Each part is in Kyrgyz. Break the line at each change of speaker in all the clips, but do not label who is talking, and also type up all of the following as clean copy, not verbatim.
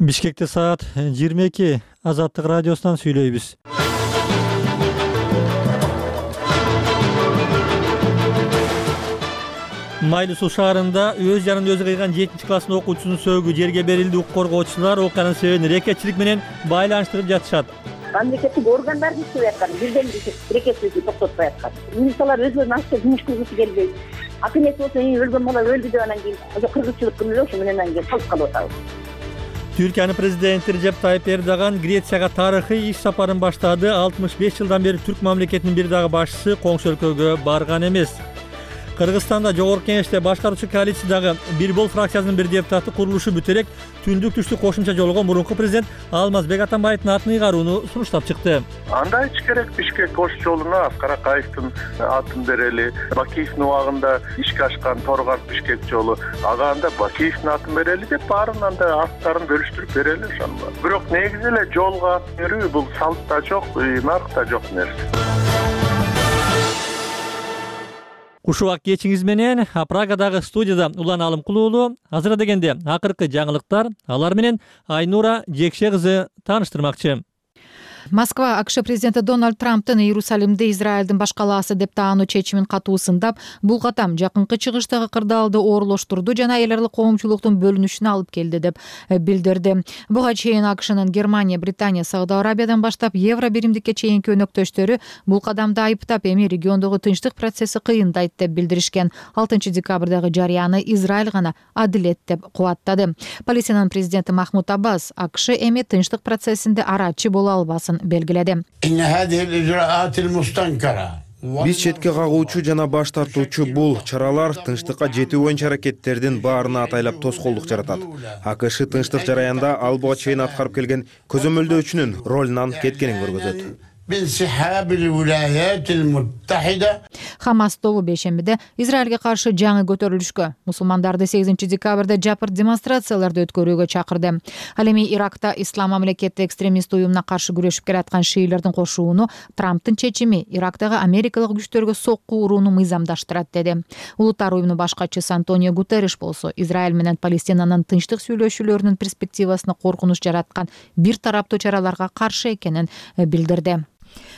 Бишкекте саат 22 Азаттык радиосунан сүйлөйбүз. Майлы Суу шаарында өз жанын өзү кыйган 7-класстын окуучусунун сөөгү жерге берилди. Укук коргоочулар окуянын себебин рекетчилик менен байланыштырып жатышат.
Мамлекеттик органдар иштеп аткан, бирден рекетчиликти токтотпой аткан. Милициялар өзүнүн ашты жумуш кылгысы келбейт. Акынет болсо өлгөн бала өлдү деп анан кийин кыргызчылык күнү ошо менен анан кийин калып калып атабыз.
Түркиянын президенти Режеп Тайып Эрдоган Грецияга тарыхый иш сапарын баштады. 65 жылдан бери түрк мамлекетинин бир дагы башчысы коңшу өлкөгө барган эмес. Кыргызстанда жогорку кеңеште башкаруучу коалициядагы Бир Бол фракциясынын бир депутаты курулушу бүтө элек түндүк түштүк кошумча жолгон мурунку президент Алмазбек Атамбаевдин атын ыйгарууну сунуштап чыкты.
Андай ич керек, Бишкек кош жолуна Аскар Акаевдин атын берели. Бакиевдин убагында ишке ашкан Торгар Бишкек жолу ага анда Бакиевдин атын берели деп баарын анда аттарын бөлүштүрүп берели ошону. Бирок негизи эле жолго ат берүү бул салтта жок, наркта жок нерсе.
Кушубак кечиңиз менен Прагадагы студияда Улан Алымкул уулу. Азыр дегенде акыркы жаңылыктар, алар менен Айнура Жекше кызы тааныштырмакчы.
Москва АКШ президенти Дональд Трамптын Иерусалимди Израилдин баш калаасы деп таануу чечимин катуу сындап, бул катам жакынкы чыгыштагы кырдаалды оорулоштурду жана эл аралык коомчулуктун бөлүнүшүнө алып келди деп билдирди. Буга чейин АКШнын Германия, Британия, Сауд Арабиядан баштап Евро биримдикке чейинки өнөктөштөрү бул кадамды айыптап, эми региондогу тынчтык процесси кыйындайт деп билдиришкен. 6 декабрдагы жарыяны Израиль гана адилет деп кубаттады. Палестинанын президенти Махмуд Аббас АКШ эми тынчтык процессинде арачы боло албасын белгиледи.
Биз четке кагуучу жана баш тартуучу бул чаралар тынчтыкка жетүү боюнча аракеттердин баарына атайлап тоскоолдук жаратат. АКШ тынчтык жараянда ал буга чейин аткарып келген көзөмөлдөөчүнүн ролунан кеткенин көргөзөт.
Хамас тобу бейшембиде Израилге каршы жаңы көтөрүлүшкө, мусулмандарды 8 декабрда жапыр демонстрацияларды өткөрүүгө чакырды. Ал эми Иракта ислам мамлекети экстремист уюмуна каршы күрөшүп келаткан шиилердин кошууну Трамптын чечими Ирактагы америкалык күчтөргө сокку урууну мыйзамдаштырат деди. Улуттар уюмунун баш катчысы Антонио Гутерриш болсо Израиль менен Палестинанын тынчтык сүйлөшүүлөрүнүн перспективасына коркунуч жараткан бир тараптуу чараларга каршы экенин билдирди.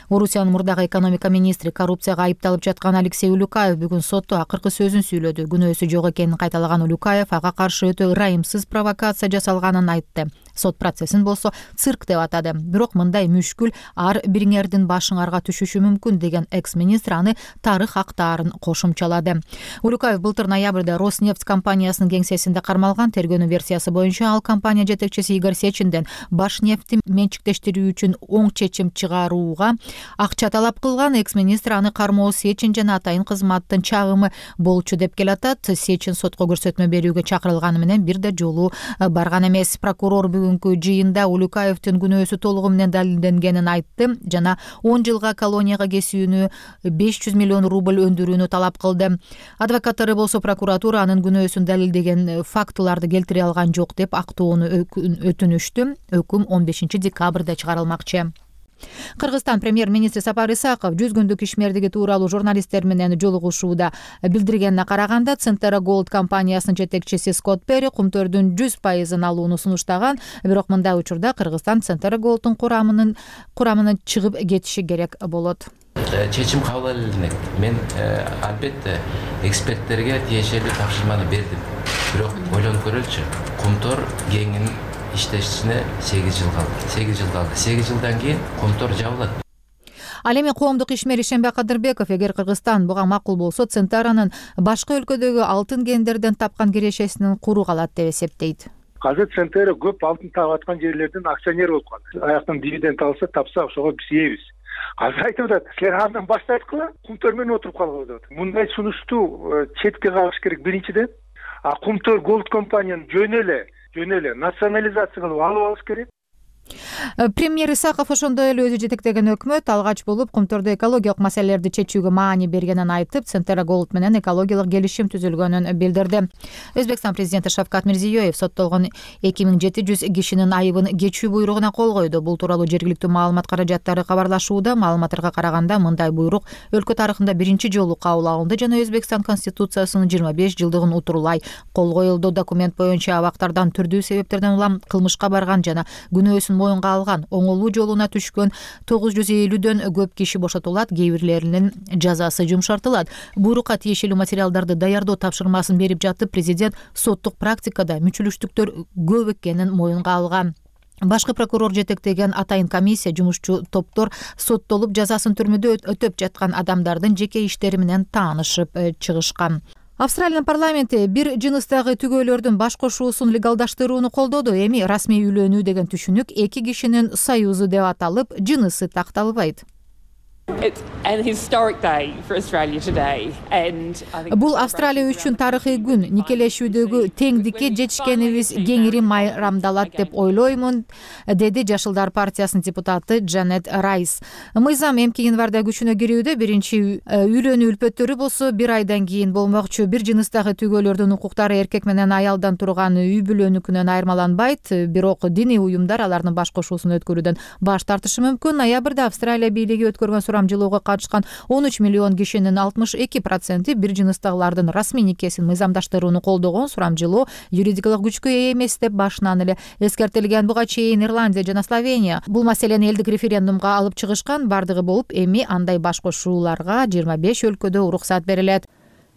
Орусиянын мурдагы экономика министри коррупцияга айыпталып жаткан Алексей Улюкаев бүгүн сотто акыркы сөзүн сүйлөдү. Күнөөсү жок экенин кайталаган Улюкаев ага каршы өтө ырайымсыз провокация жасалганын айтты. Сот процессин болсо цирк деп атады. Бирок мындай мүшкүл ар бириңердин башыңарга түшүшү мүмкүн деген экс-министр аны тарых актаарын кошумчалады. Улюкаев былтыр ноябрда Роснефть компаниясынын кеңсесинде кармалган. Тергөөнүн версиясы боюнча ал компания жетекчиси Игорь Сечинден Башнефтти менчиктештирүү үчүн оң чечим чыгарууга акча талап кылган. Экс-министр аны кармоо Сечин жана атайын кызматтын чагымы болчу деп келатат. Сечин сотко көрсөтмө берүүгө чакырылганы менен бир да жолу барган эмес. Прокурор бүгүнкү жыйында Улюкаевдин күнөөсү толугу менен далилденгенин айтты жана 10 жылга колонияга кесүүнү 500 миллион рубль өндүрүүнү талап кылды. Адвокаттары болсо прокуратура анын күнөөсүн далилдеген фактыларды келтире алган жок деп актоону өтүнүштү. Өкүм 15 декабрда чыгарылмакчы. Кыргызстан премьер-министри Сапар Исаков 100 күндүк ишмердиги тууралуу журналисттер менен жолугушууда билдиргенине караганда Centera Gold компаниясынын жетекчиси Скотт Перри кумтөрдүн 100% алууну сунуштаган. Бирок мындай учурда Кыргызстан Centera Gold'ун курамынан чыгып кетиши керек болот.
Чечим кабыл алынат. Мен албетте эксперттерге тиешелүү тапшырманы бердим. Бирок ойлонуп көрөлүчү. Кумтөр кеңин иштешине 8 жыл калды. 8 жылдан кийин Кумтор жабылат.
Ал эми коомдук ишмер Ишенбек Кадырбеков эгер Кыргызстан буга макул болсо Центаранын башка өлкөдөгү алтын кендерден тапкан кирешесинин куру калат деп эсептейт.
Азыр Центера көп алтын таап аткан жерлердин акционер болуп калды. Аяктан дивиденд алса, тапса ошого биз ийбиз. Азыр айтып атат, силер андан баш тарткыла, Кумтөр менен отуруп калгыла деп атат. Мындай сунушту четке кагыш керек биринчиден. Кумтөр Gold компаниянын жөн эле национализация кылып алып алыш керек.
Премьер Исаков ошондой эле өзү жетектеген өкмөт алгач болуп кумтордо экологиялык маселелерди чечүүгө маани бергенин айтып, Центра Голд менен экологиялык келишим түзүлгөнүн билдирди. Өзбекстан президенти Шавкат Мирзиёев соттолгон 2700 кишинин айыбын кечүү буйругуна кол койду. Бул тууралуу жергиликтүү маалымат каражаттары кабарлашууда. Маалыматтарга караганда мындай буйрук өлкө тарыхында биринчи жолу кабыл алынды жана Өзбекстан конституциясынын 25 жылдыгын утурулай кол коюлду. Документ боюнча абактардан түрдүү себептерден улам кылмышка барган жана күнөөсүн моюнга алган, оңолуу жолуна түшкөн 950дөн көп киши бошотулат, кээ бирлеринин жазасы жумшартылат. Буйрукка тиешелүү материалдарды даярдоо тапшырмасын берип жатып, президент соттук практикада мүчүлүштүктөр көп экенин моюнга алган. Башкы прокурор жетектеген атайын комиссия жумушчу топтор соттолуп жазасын түрмөдө өтөп жаткан адамдардын жеке иштери менен таанышып чыгышкан. Австралиянын парламенти бир жыныстагы түгөөлөрдүн баш кошуусун легалдаштырууну колдоду. Эми расмий үйлөнүү деген түшүнүк эки кишинин союзу деп аталып, жынысы такталбайт. Бул Австралия үчүн тарыхый күн. Никелешүүдөгү теңдикке жетишкенибиз кеңири майрамдалат деп ойлоймун, деди Жашылдар партиясынын депутаты Джанет Райс. Мыйзам эмки январда күчүнө кирүүдө. Биринчи үйлөнүү үлпөттөрү болсо 1 айдан кийин болмокчу. Бир жыныстагы түгөөлөрдүн укуктары эркек менен аялдан турган үй бүлөнүкүнөн айырмаланбайт, бирок диний уюмдар алардын баш кошуусун өткөрүүдөн баш тартышы мүмкүн. Ноябрда Австралия бийлиги өткөргөн сурамжылоого катышкан 13 миллион кишинин 62% бир жыныстагылардын расмий никесин мыйзамдаштырууну колдогон. Сурамжылоо юридикалык күчкө ээ эмес деп башынан эле эскертилген. Буга чейин Ирландия жана Словения бул маселени элдик референдумга алып чыгышкан. Бардыгы болуп, эми андай баш кошууларга 25 өлкөдө уруксат берилет.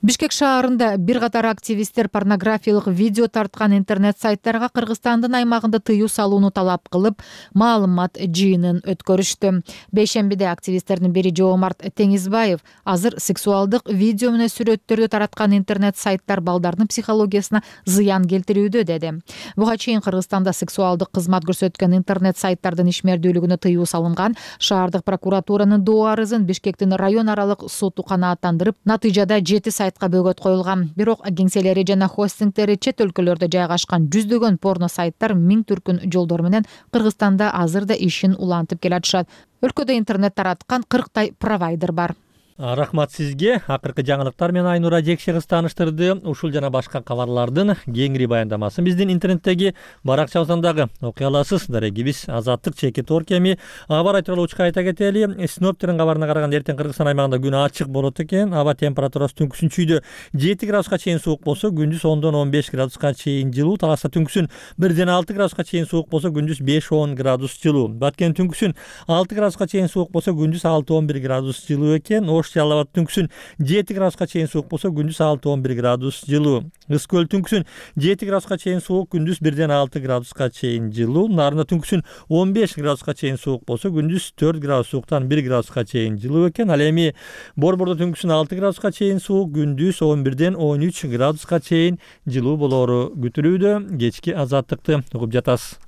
Бишкек шаарында бир катар активисттер порнографиялык видео тарткан интернет сайттарга Кыргызстандын аймагында тыюу салууну талап кылып, маалымат жыйынын өткөрүштү. Бейшембиде активисттердин бири Жоомарт Теңизбаев азыр сексуалдык видео менен сүрөттөрдү тараткан интернет сайттар балдардын психологиясына зыян келтирүүдө деди. Буга чейин Кыргызстанда сексуалдык кызмат көрсөткөн интернет сайттардын ишмердүүлүгүнө тыюу салынган. Шаардык прокуратуранын доо арызын Бишкектин район аралык соту канааттандырып, натыйжада 7 сайтка бөгөт коюлган. Бирок кеңселери жана хостингтери чет өлкөлөрдө жайгашкан жүздөгөн порно сайттар миң түркүн жолдор менен Кыргызстанда азыр да ишин улантып келатышат. Өлкөдө интернет тараткан 40 провайдер бар.
Рахмат сизге. Акыркы жаңылыктар менен Айнура Жекшегиз тааныштырды. Ушул жана башка кабарлардын кеңири баяндамасын биздин интернеттеги баракчабыздан дагы окуй аласыз. Дарегибиз Азаттык Чекит Оркеми. Аба рай тууралуучка айта кетели. Синоптиктин кабарына караганда эртең Кыргызстан аймагында күн ачык болот экен. Аба температурасы түнкүсүн чүйдө 7 градуска чейин суук болсо, күндүз 10дон 15 градуска чейин жылуу. Таласта түнкүсүн 1ден 6 градуска чейин суук болсо, күндүз 5-10 градус жылуу. Баткен түнкүсүн 6 градуска чейин суук болсо, күндүз 6-11 градус жылуу экен. Жалал абад түнкүсүн 7 градуска чейин суук болсо, күндүз 6-11 градус жылуу. Ыс көл түнкүсүн 7 градуска чейин суук, күндүз 1ден 6 градуска чейин жылуу. Нарында түнкүсүн 15 градуска чейин суук болсо, күндүз 4 градус сууктан 1 градуска чейин жылуу экен. Ал эми Борбордо түнкүсүн 6 градуска чейин суук, күндүз 11ден 13 градуска чейин жылуу болоору күтүлүүдө. Кечки Азаттыкты угуп жатасыз.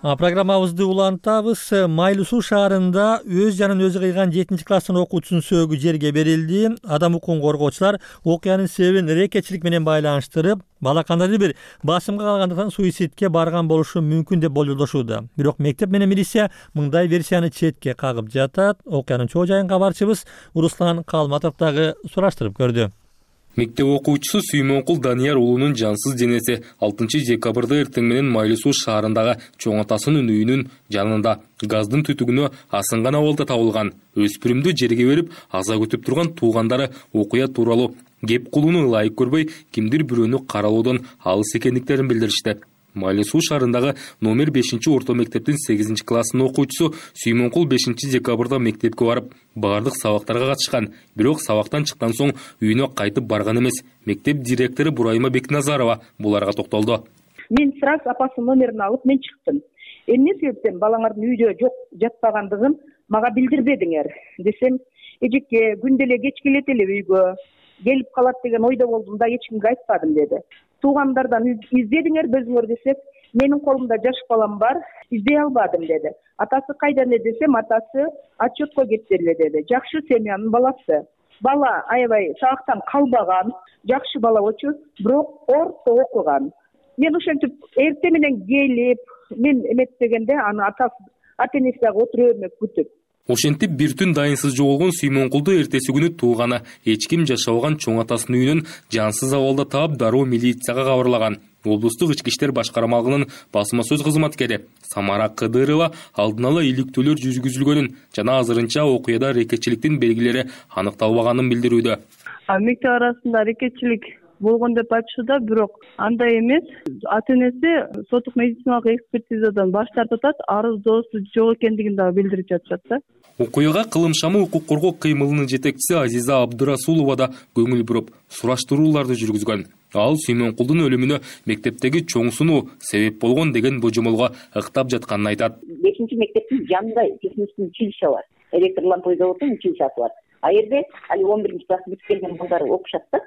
Программабызды улантабыз. Майлуу Суу шаарында өз жанын өзү кыйган 7 класстын окуучусунун сөөгү жерге берилди. Адам укугун коргоочулар окуянын себебин рекетчилик менен байланыштырып, бала кандайдыр бир басымга калгандыктан суицидке барган болушу мүмкүн деп болжолдошууда. Бирок мектеп менен милиция мындай версияны четке кагып жатат. Окуянын чоо жайын кабарчыбыз Руслан Калматов дагы сураштырып көрдү.
Мектеп окуучусу Сүймөнкул Данияр уулунун жансыз денеси 6 декабрда эртең менен Майлуу Суу шаарындагы чоң атасынын үйүнүн жанында газдын түтүгүнө асынган абалда табылган. Өспүрүмдү жерге берип аза күтүп турган туугандары окуя тууралуу кеп кылууну ылайык көрбөй, кимдир бирөөнү каралоодон алыс экендиктерин билдиришти. Майлуу Суу шаарындагы номер 5-орто мектептин 8 класстын окуучусу Сүймөнкул 5 декабрда мектепке барып, бардык сабактарга катышкан. Бирок сабактан чыккан соң үйүнө кайтып барган эмес. Мектеп директору Бурайма Бекназарова буларга токтолду.
Мен сразу апасынын номерин алып мен чыктым. Эмне себептен балаңардын үйдө жок жатпагандыгын мага билдирбедиңер десем, эжеке күндө эле кеч келет эле үйгө, келип калат деген ойдо болдум да, эч кимге айтпадым деди. Туугандардан издедиңер безиңер десек, менин колумда жаш балам бар, издей албадым деди. Атасы кайда десем, атасы отчетко кетти эле деди. Жакшы семьянын баласы.
бала аябай сабактан калбаган, жакшы бала болчу, бирок орто окуган. Мен ошентип эртең менен келип, мен эметпегенде аны ата энеси дагы отура бермек күтүп.
Ошентип бир түн дайынсыз жоголгон Сүймөнкулду эртеси күнү тууганы эч ким жашабаган чоң атасынын үйүнөн жансыз абалда таап дароо милицияга кабарлаган. Облустук ички иштер башкармалыгынын басма сөз кызматкери Самара Кыдырова алдын ала иликтөөлөр жүргүзүлгөнүн жана азырынча окуяда аракетчиликтин белгилери аныкталбаганын билдирүүдө.
Мектеп арасында аракетчилик болгон деп айтышууда, бирок андай эмес. Ата энеси соттук медициналык экспертизадан баш тартып атат, арыздоосу жок экендигин дагы билдирип жатышат да.
Окуяга кылым шамы укук коргоо кыймылынын жетекчиси Азиза Абдырасулова да көңүл буруп, сураштырууларды жүргүзгөн. Ал Сүймөнкулдун өлүмүнө мектептеги чоң сунуу себеп болгон деген божомолго ыктап жатканын айтат.
5-мектептин жанында технический училище бар. Электр лампа заводунун училищеси бар. А жерде али 11-класс бүткөн балдар окушат да.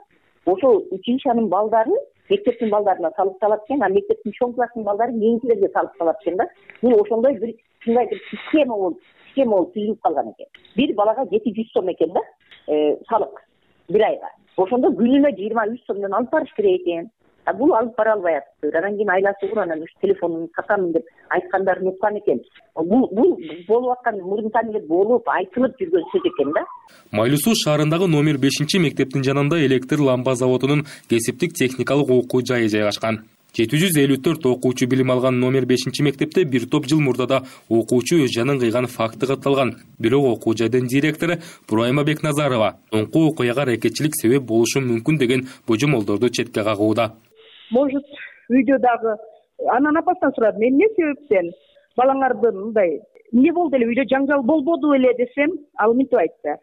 Ошол училищенин балдарын мектептин балдарына салып салат экен, а мектептин чоң класстын балдарын кийинкилерге салып салат экен да. Бул ошондой бир ушундай бир система болуп түзүлүп калган экен. Бир балага 700 сом экен да, салык бир айга. Ошондо күнүнө 23 сомдон алып барыш керек экен. А бул алып бара албай атты. Анан кийин айласы анан телефонун сатамын деп айткандарын уккан экен. Бул болуп аткан мурунтан эле болуп айтылып жүргөн сөз экен да.
Майлуу Суу шаарындагы номер 5-мектептин жанында электр лампа заводунун кесиптик техникалык окуу жайы жайгашкан. 754 окуучу билим алган номер 5-мектепте бир топ жыл мурда окуучу өз жанын кыйган факты катталган. Бирок окуу жайдын директору Бурайма Бекназарова оңкуу окуяга аракетчилик себеп болушу мүмкүн деген божомолдорду четке кагууда.
Может, үйдө дагы анан апасынан сурадым, мен эмне себептен балаңардын мындай эмне болду эле, үйдө жаңжал болбоду эле десем, ал мынтип айтты.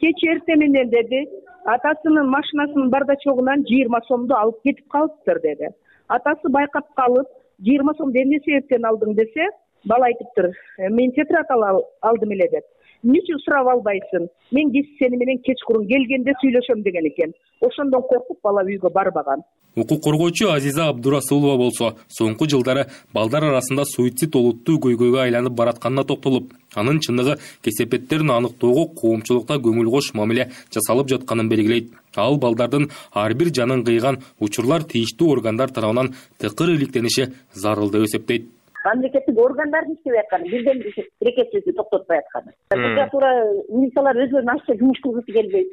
Кеч эртең менен деди, атасынын машинасынын бардачогунан 20 сомду алып кетип калыптыр деди. Атасы байкап калып, 20 сомду эмне себептен алдың десе, бала айтыптыр, мен тетрадь алдым эле деп. Эмне үчүн сурап албайсың? Мен сени менен кечкурун келгенде сүйлөшөм деген экен. Ошондон коркуп бала үйгө барбаган.
Укук коргоочу Азиза Абдурасулова болсо, соңку жылдары балдар арасында суицид олуттуу көйгөйгө айланып баратканына токтолуп, анын чындыгы кесепеттерин аныктоого коомчулукта көңүл кош мамиле жасалып жатканын белгилейт. Ал балдардын ар бир жанын кыйган учурлар тийиштүү органдар тарабынан тыкыр иликтениши зарыл деп эсептейт.
Мамлекеттик органдардын иштебей атканы, бирден аракетчиликти токтотпой атканы. Прокуратура, милициялар өздөрүнүн ашча жумуш кылгысы келбейт.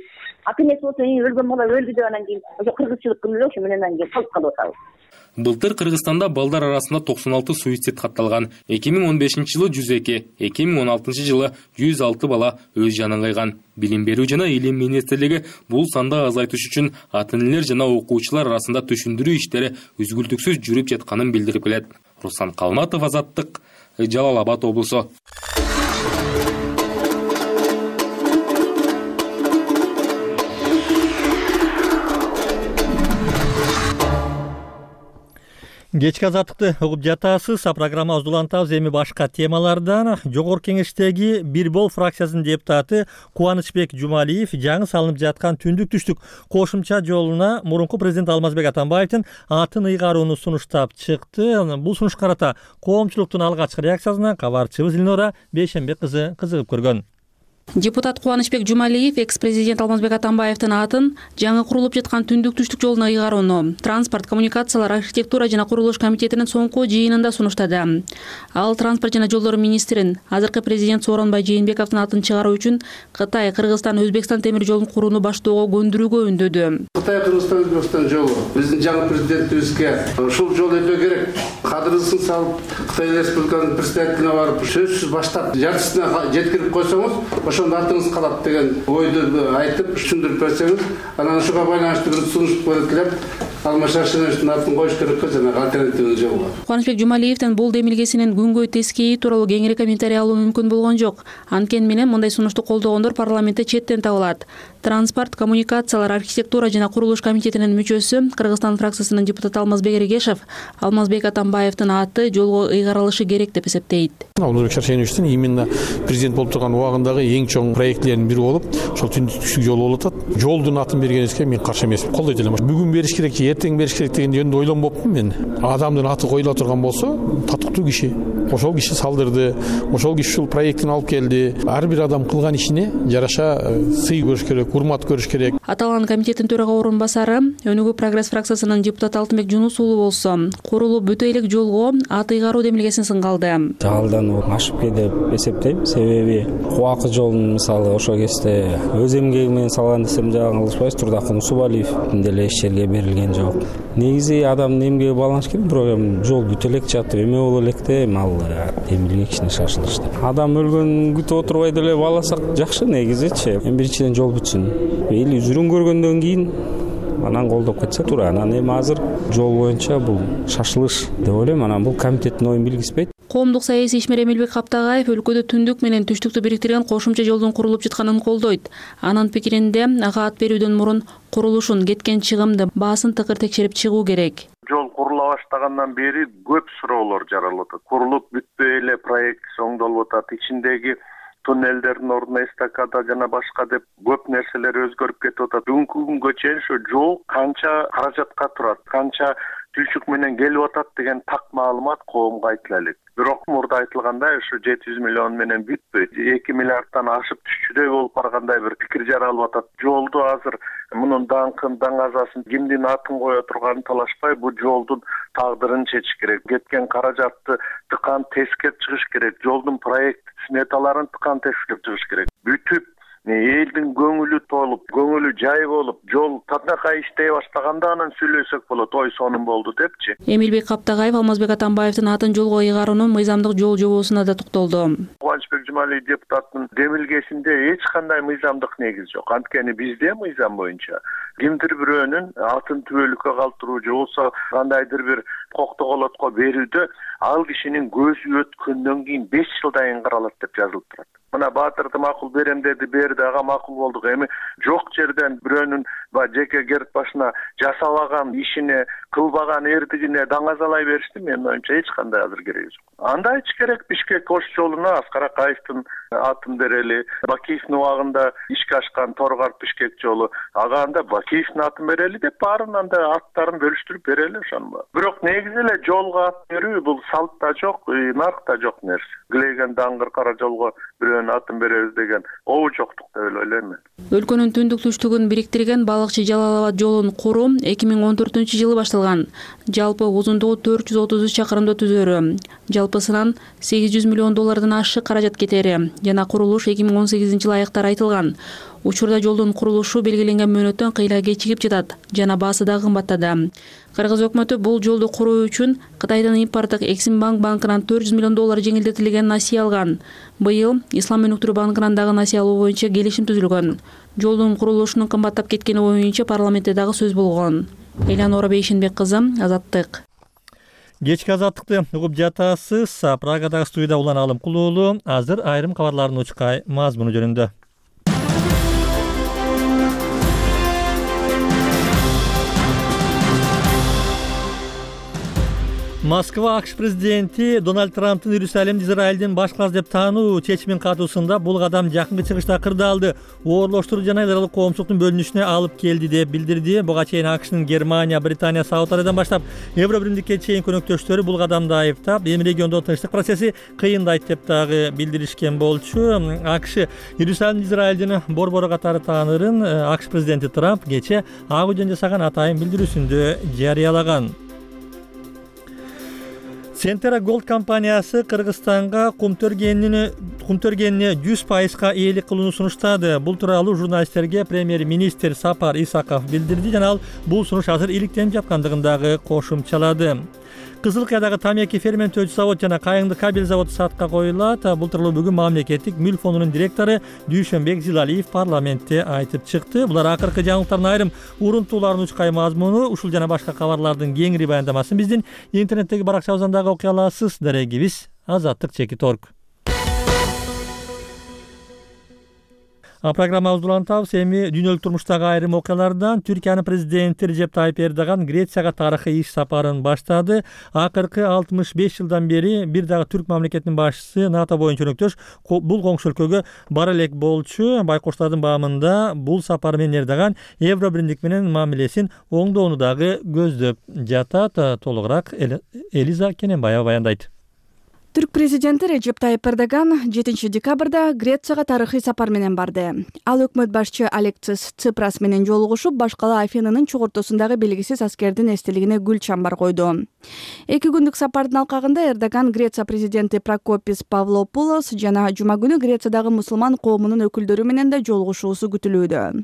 Ата энеси болсо өлгөн бала өлдү деп анан кийин ошо кыргызчылык эле ошо менен анан кийин калып калып атабыз.
Былтыр Кыргызстанда балдар арасында 96 суицид катталган. 2015-жылы 102, 2016-жылы 106 бала өз жанын кыйган. Билим берүү жана илим министрлиги бул санды азайтыш үчүн ата энелер жана окуучулар арасында түшүндүрүү иштери үзгүлтүксүз жүрүп жатканын билдирип келет. Руслан Калматов, Азаттык, Жалал Абад облусу.
Кечки Азаттыкты угуп жатасыз. Программабызды улантабыз. Эми башка темалардан. Жогорку Кеңештеги Бир Бол фракциясынын депутаты Кубанычбек Жумалиев жаңы салынып жаткан түндүк-түштүк кошумча жолуна мурунку президент Алмазбек Атамбаевдин атын ыйгарууну сунуштап чыкты. Бул сунушка карата коомчулуктун алгачкы реакциясына кабарчыбыз Илнора Бейшенбек кызы кызыгып көргөн.
Депутат Кубанычбек Жумалиев экс-президент Алмазбек Атамбаевдин атын жаңы курулуп жаткан түндүк-түштүк жолуна ыйгарууну Транспорт, коммуникациялар, архитектура жана курулуш комитетинин соңку жыйынында сунуштады. Ал транспорт жана жолдор министрин, азыркы президент Сооронбай Жээнбековдун атын чыгаруу үчүн Кытай, Кыргызстан, Өзбекстан темир жолун курууну баштоого көндүрүүгө үндөдү.
Кытай, Кыргызстан, Өзбекстан жолу биздин жаңы президентибизге ушул жол өтө керек. Кадырысын салып, Кытай Республиканын президентине барып, сөзсүз баштап жартысына жеткирип койсоңуз, ошондо атыңыз калат деген ойду айтып түшүндүрүп берсеңиз, анан ушуга байланыштуу бир сунуш белгилеп, Алмаз Шаршеновичтин атын коюш керек жана альтернативный жол бар.
Кубанычбек Жумалиевдин бул демилгесинин күнгөй тескейи тууралуу кеңири комментарий алуу мүмкүн болгон жок. Анткени менен мындай сунушту колдогондор парламентте четтен табылат. Транспорт, коммуникациялар, архитектура жана курулуш комитетинин мүчөсү, Кыргызстан фракциясынын депутаты Алмазбек Эргешев Алмазбек Атамбаевдин аты жолго ыйгарылышы керек деп эсептейт.
Алмазбек Шаршеновичтин именно президент болуп турган убагындагы эң чоң проектлердин бири болуп, ошол түндүк-түштүк жол болуп атат. Жолдун атын бергенибизге мен каршы эмесмин. Колдойт элем. Бүгүн бериш керек же эртең бериш керек деген жөнүндө ойлонбоптун мен. Адамдын аты коюла турган болсо, татыктуу киши. Ошол киши салдырды, ошол киши ушул проектин алып келди. Ар бир адам кылган ишине жараша сый көрүш керек, урмат көрүш керек.
Аталган комитеттин төрага орун басары Өнүгүү прогресс фракциясынын депутаты Алтынбек Жунус уулу болсо, курулуп бүтө элек жолго ат ыйгаруу демилгесин сынга алды.
Жалдан ашып деп эсептейм. Себеби Кубакы жолун мисалы ошол кезде өз эмгеги менен салган десем жаңылышпайбыз. Турдакын Усубалиевдин деле иш жерге берилген жок. Негизи адамдын эмгеги байланыш керек, бирок жол бүтө элек жатып эме боло электе ал демилге кичине шашылышты. Адам өлгөнүн күтүп отурбай деле бааласак жакшы негизичи. Биринчиден жол бүтсүн. Эли үзүрүн көргөндөн кийин анан колдоп кетсе туура. Анан эми азыр жол боюнча бул шашылыш деп ойлойм. Анан бул комитеттин оюн билгизбейт.
Коомдук саясий ишмер Эмилбек Каптагаев өлкөдө түндүк менен түштүктү бириктирген кошумча жолдун курулуп жатканын колдойт. Анын пикиринде ага ат берүүдөн мурун курулушун, кеткен чыгымды, баасын тыкыр текшерип чыгуу керек.
Жол курула баштагандан бери көп суроолор жаралып атат. Курулуп бүтпөй эле проект соңдолуп атат. Ичиндеги туннелдердин ордуна эстакада жана башка деп көп нерселер өзгөрүп кетип атат. Бүгүнкү күнгө чейин ошо жол канча каражатка турат, канча түшүк менен келип атат деген так маалымат коомго айтыла элек. Бирок мурда айтылгандай ошо 700 миллион менен бүтпөйт. 2 миллиарддан ашып түшчүдөй болуп баргандай бир пикир жаралып атат. Жолду азыр мунун даңкын, даңазасын, кимдин атын кое турганын талашпай, бул жолдун тагдырын чечиш керек. Кеткен каражатты тыкан тескеп чыгыш керек. Жолдун проект сметаларын тыкан тескеп чыгыш керек. Бүтүп элдин көңүлү толуп, көңүлү жай болуп, жол татынакай иштей баштаганда анан сүйлөсөк болот. Ой сонун болду депчи.
Эмилбек Каптагаев Алмазбек Атамбаевдин атын жолго ыйгаруунун мыйзамдык жол жобосуна да токтолду.
Кубанычбек Жумалиев депутаттын демилгесинде эч кандай мыйзамдык негиз жок. Анткени бизде мыйзам боюнча кимдир бирөөнүн атын түбөлүккө калтыруу же болбосо кандайдыр бир коктоголотко берүүдө ал кишинин көзү өткөндөн кийин 5 жылдан кийин каралат деп жазылып турат. Мына Баатырды макул берем деди, берди, ага макул болдук. Эми жок жерден бирөөнүн жеке керт башына жасабаган ишине, кылбаган эрдигине даңазалай беришти менин оюмча эч кандай азыр кереги жок. Андай ич керек. Бишкек Ош жолуна Аскар Акаевдин атын берели. Бакиевдин убагында ишке ашкан Торгарт Бишкек жолу, ага анда Бакиевдин атын берели деп баарынан да аттарын бөлүштүрүп берели ошону. Бирок негизи эле жолго ат берүү бул салтта жок, наркта жок нерсе. Глеген даңгыр кара жолго бирөөнүн атын беребиз деген обу жоктук деп ойлойм мен.
Өлкөнүн түндүк түштүгүн бириктирген Балыкчы Жалал-Абад жолун куруу 2014-жылы башталган. Жалпы узундугу 433 чакырымды түзөрү. Жалпысынан $800 миллион ашык каражат кетери жана курулуш 2018-жылы аяктар айтылган. Учурда жолдун курулушу белгиленген мөөнөттөн кыйла кечигип жатат жана баасы да кымбаттады. Кыргыз өкмөтү бул жолду куруу үчүн Кытайдын импорттук Эксимбанк банкынан $400 миллион жеңилдетилген насыя алган. Быйыл Ислам өнүктүрүү банкынан дагы насыя алуу боюнча келишим түзүлгөн. Жолдун курулушунун кымбаттап кеткени боюнча парламентте дагы сөз болгон. Элянора Бейшенбек кызы, Азаттык.
Кечки азаттыкты угуп жатасыз. Прагадагы студияда Улан Алымкулуу. Азыр айрым кабарлардын учкай мазмуну жөнүндө. Москва АКШ президенти Дональд Трамптын Иерусалимди Израилдин баш каласы деп таануу чечимин катуусунда бул кадам жакынкы чыгышта кырдаалды, оорлоштуруу жана эл аралык коомчулуктун бөлүнүшүнө алып келди деп билдирди. Буга чейин АКШнын Германия, Британия, Сауд Арабиядан баштап Евро биримдикке чейин көнөктөштөрү бул кадамды айыптап, эми региондо тынчтык процесси кыйындайт деп дагы билдиришкен болчу. АКШ Иерусалимди Израилдин борбору катары таанырын АКШ президенти Трамп кече ак үйдөн жасаган атайын билдирүүсүндө жарыялаган. Centera Gold компаниясы Кыргызстанга кум төргөнүнө 100% ээлик кылууну сунуштады. Бул тууралуу журналисттерге премьер-министр Сапар Исаков билдирди жана ал бул сунуш азыр иликтенип жаткандыгын дагы кошумчалады. Кызыл Кыядагы тамеки ферменттөөчү завод жана Кайыңды кабель заводу сатка коюлат. Бул тууралуу бүгүн мамлекеттик мүлк фондунун директору Дүйшөнбек Зилалиев парламентте айтып чыкты. Булар акыркы жаңылыктардын айрым урунтууларын учкай мазмуну, ушул жана башка кабарлардын кеңири баяндамасын биздин интернеттеги баракчабыздан дагы окуй аласыз. Дарегибиз Азаттык.org. Программабызды улантабыз. Эми дүйнөлүк турмуштагы айрым окуялардан Түркиянын президенти Режеп Тайып Эрдоган Грецияга тарыхый иш сапарын баштады. Акыркы 65 жылдан бери бир дагы түрк мамлекетинин башчысы НАТО боюнча өнөктөш бул коңшу өлкөгө бара элек болчу. Байкоштардын баамында бул сапар менен Эрдоган Евро биримдик менен мамилесин оңдоону дагы көздөп жатат. Толугураак Элиза Кененбаева баяндайт.
Түрк президенти Режеп Тайип Эрдоган 7 декабрда Грецияга тарыхый сапар менен барды. Ал өкмөт башчы Алексис Ципрас менен жолугушуп, башкала Афинанын чогуртосундагы белгисиз аскердин эстелигине гүл чамбар койду. 2 күндүк сапардын алкагында Эрдоган Греция президенти Прокопис Павлопулос жана жума күнү Грециядагы мусулман коомунун өкүлдөрү менен да жолугушуусу күтүлүүдө.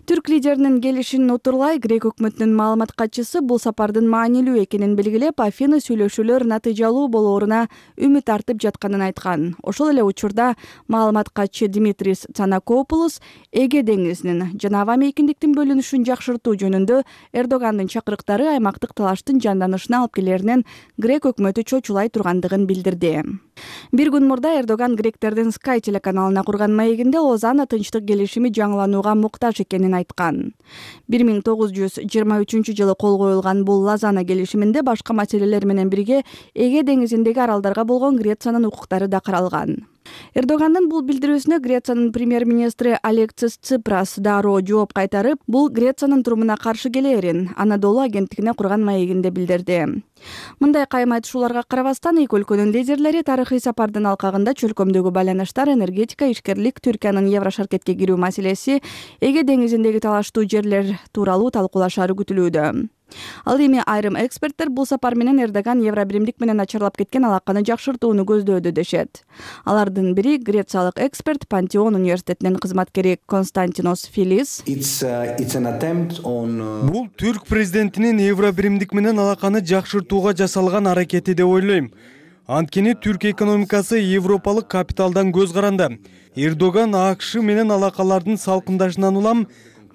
Түрк лидеринин келишин утурлай Грек өкмөтүнүн маалымат катчысы бул сапардын маанилүү экенин белгилеп, Афина сүйлөшүүлөр натыйжалуу болооруна үмүт артып жатканын айткан. Ошол эле учурда маалымат катчы Димитрис Цанакопулос Эге деңизинин жана аба мейкиндиктин бөлүнүшүн жакшыртуу жөнүндө Эрдогандын чакырыктары аймактык талаштын жанданышына алып келеринен Грек өкмөтү чочулай тургандыгын билдирди. Бир күн мурда Эрдоган гректердин Sky телеканалына курган маегинде Лозанна тынчтык келишими жаңыланууга муктаж экенин айткан. 1923 жылы кол коюлган бул Лозанна келишиминде башка маселелер менен бирге Эге деңизиндеги аралдарга болгон Грециянын укуктары да каралган. Эрдогандын бул билдирүүсүнө Грециянын премьер-министри Алексис Ципрас дароо жооп кайтарып, бул Грециянын турумуна каршы келээрин Анадолу агенттигине курган маегинде билдирди. Мындай кайым айтышууларга карабастан, эки өлкөнүн лидерлери тарыхый сапардын алкагында чөлкөмдөгү байланыштар, энергетика, ишкерлик, Түркиянын Еврошаркетке кирүү маселеси, Эге деңизиндеги талаштуу жерлер тууралуу талкуулашары күтүлүүдө. Ал эми айрым эксперттер бул сапар менен Эрдоган Евробиримдик менен начарлап кеткен алаканы жакшыртууну көздөөдө дешет. Алардын бири грециялык эксперт, Пантеон университетинин кызматкери Константинос Филис.
Бул түрк президентинин Евробиримдик менен алаканы жакшыртууга жасалган аракети деп ойлойм. Анткени түрк экономикасы европалык капиталдан көз каранды. Эрдоган АКШ менен алакалардын салкындашынан улам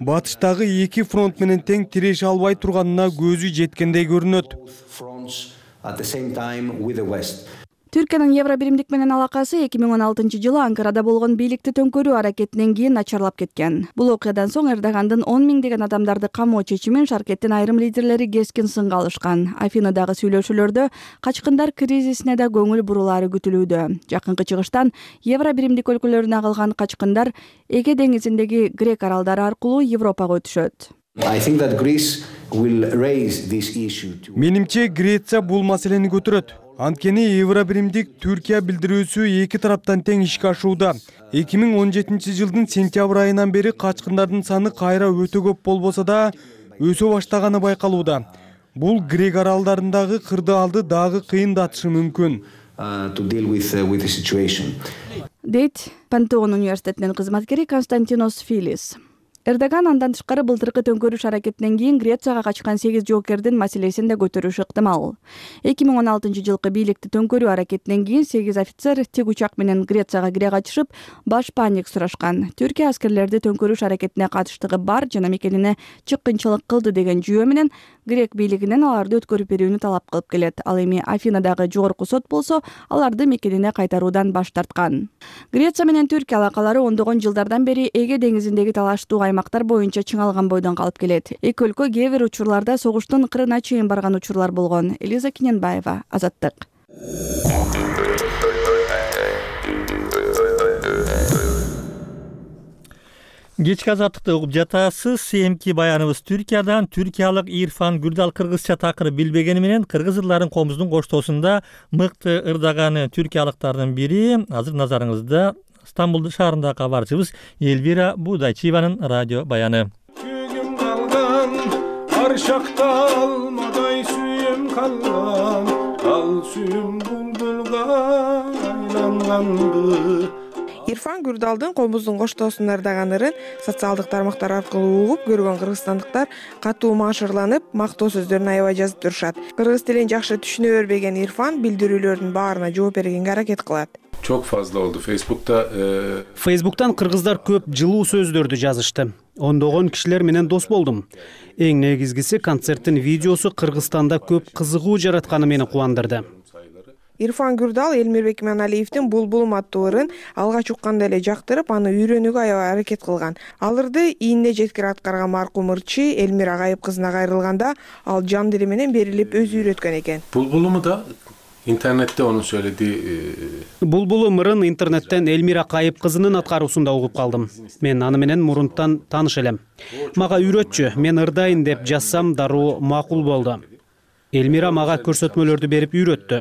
батыштагы эки фронт менен тең тиреше албай турганына көзү жеткендей көрүнөт.
Түркиянын Евробиримдик менен алакасы 2016 жылы Анкарада болгон бийликти төңкөрүү аракетинен кийин начарлап кеткен. Бул окуядан соң Эрдогандын 10 миңдеген адамдарды камоо чечимин Шаркеттин айрым лидерлери кескин сынга алышкан. Афинадагы сүйлөшүүлөрдө качкындар кризисине да көңүл бурулары күтүлүүдө. Жакынкы чыгыштан Евробиримдик өлкөлөрүнө калган качкындар Эге деңизиндеги Грек аралдары аркылуу Европага өтүшөт.
Менимче Греция бул маселени көтөрөт. Анткени Евробиримдик Түркия билдирүүсү эки тараптан тең ишке ашууда. 2017 жылдын сентябрь айынан бери качкындардын саны кайра өтө көп болбосо да өсө баштаганы байкалууда. Бул Грек аралдарындагы кырдаалды дагы кыйындатышы мүмкүн.
Дейт Пантеон университетинин кызматкери Константинос Филис. Эрдоган андан тышкары былтыркы төңкөрүш аракетинен кийин Грецияга качкан 8 жоокердин маселесин да көтөрүшү ыктымал. 2016 жылкы бийликти төңкөрүү аракетинен кийин 8 офицер тик учак менен Грецияга кире качышып, баш паник сурашкан. Түркия аскерлерди төңкөрүш аракетине катыштыгы бар жана мекенине чыккынчылык кылды деген жүйө менен Грек бийлигинен аларды өткөрүп берүүнү талап кылып келет. Ал эми Афинадагы жогорку сот болсо, аларды мекенине кайтаруудан баш тарткан. Греция менен Түркия алакалары ондогон жылдардан бери Эге деңизиндеги талаштуу аймактар боюнча чыңалган бойдон калып келет. Эки өлкө кээ бир учурларда согуштун кырына чейин барган учурлар болгон. Элиза Киненбаева, Азаттык.
Кечки Азаттыкты угуп жатасыз. Эмки баяныбыз Түркиядан. Түркиялык Ирфан Гүрдал кыргызча такыр билбегени менен кыргызырлардын коомубуздун коштоосунда мыкты ырдаганы түркиялыктардын бири. Азыр назарыңызда Стамбул шаарындагы кабарчыбыз Элвира Будайчиеванын радио баяны.
Көгүм калган, аршакта алмадай сүйүм калган, ал сүйүм булбулга айланганды.
Ирфан Гүрдалдын коомубуздун коштоосун ырдаган ырын социалдык тармактар аркылуу угуп көргөн кыргызстандыктар катуу маашырланып, мактоо сөздөрүн аябай жазып турушат. Кыргыз тилин жакшы түшүнө бербеген Ирфан билдирүүлөрдүн баарына жооп бергенге аракет кылат.
Çok fazla oldu Facebook'ta.
Facebook'tan kırgızlar köp жылуу сөздөрдү жазышты. Ондогон кишилер менен дос болдум. Эң негизгиси концерттин видеосу Кыргызстанда көп кызыгуу жаратканы мени кубандырды.
Ирфан Гүрдал Элмирбек Иманалиевдин Булбулум аттуу ырын алгач укканда эле жактырып, аны үйрөнүүгө аябай аракет кылган. Ал ырды ийинде жеткире аткарган маркум ырчы Элмир Агайып кызына кайрылганда ал жан дили менен берилип өзү үйрөткөн экен.
Bulbulum'u da internette onun söylediği
Булбулум ырын интернеттен Элмира Кайып кызынын аткаруусунда угуп калдым. Мен аны менен мурунтан тааныш элем. Мага үйрөтчү, мен ырдайын деп жазсам дароо макул болду. Элмира мага көрсөтмөлөрдү берип үйрөттү.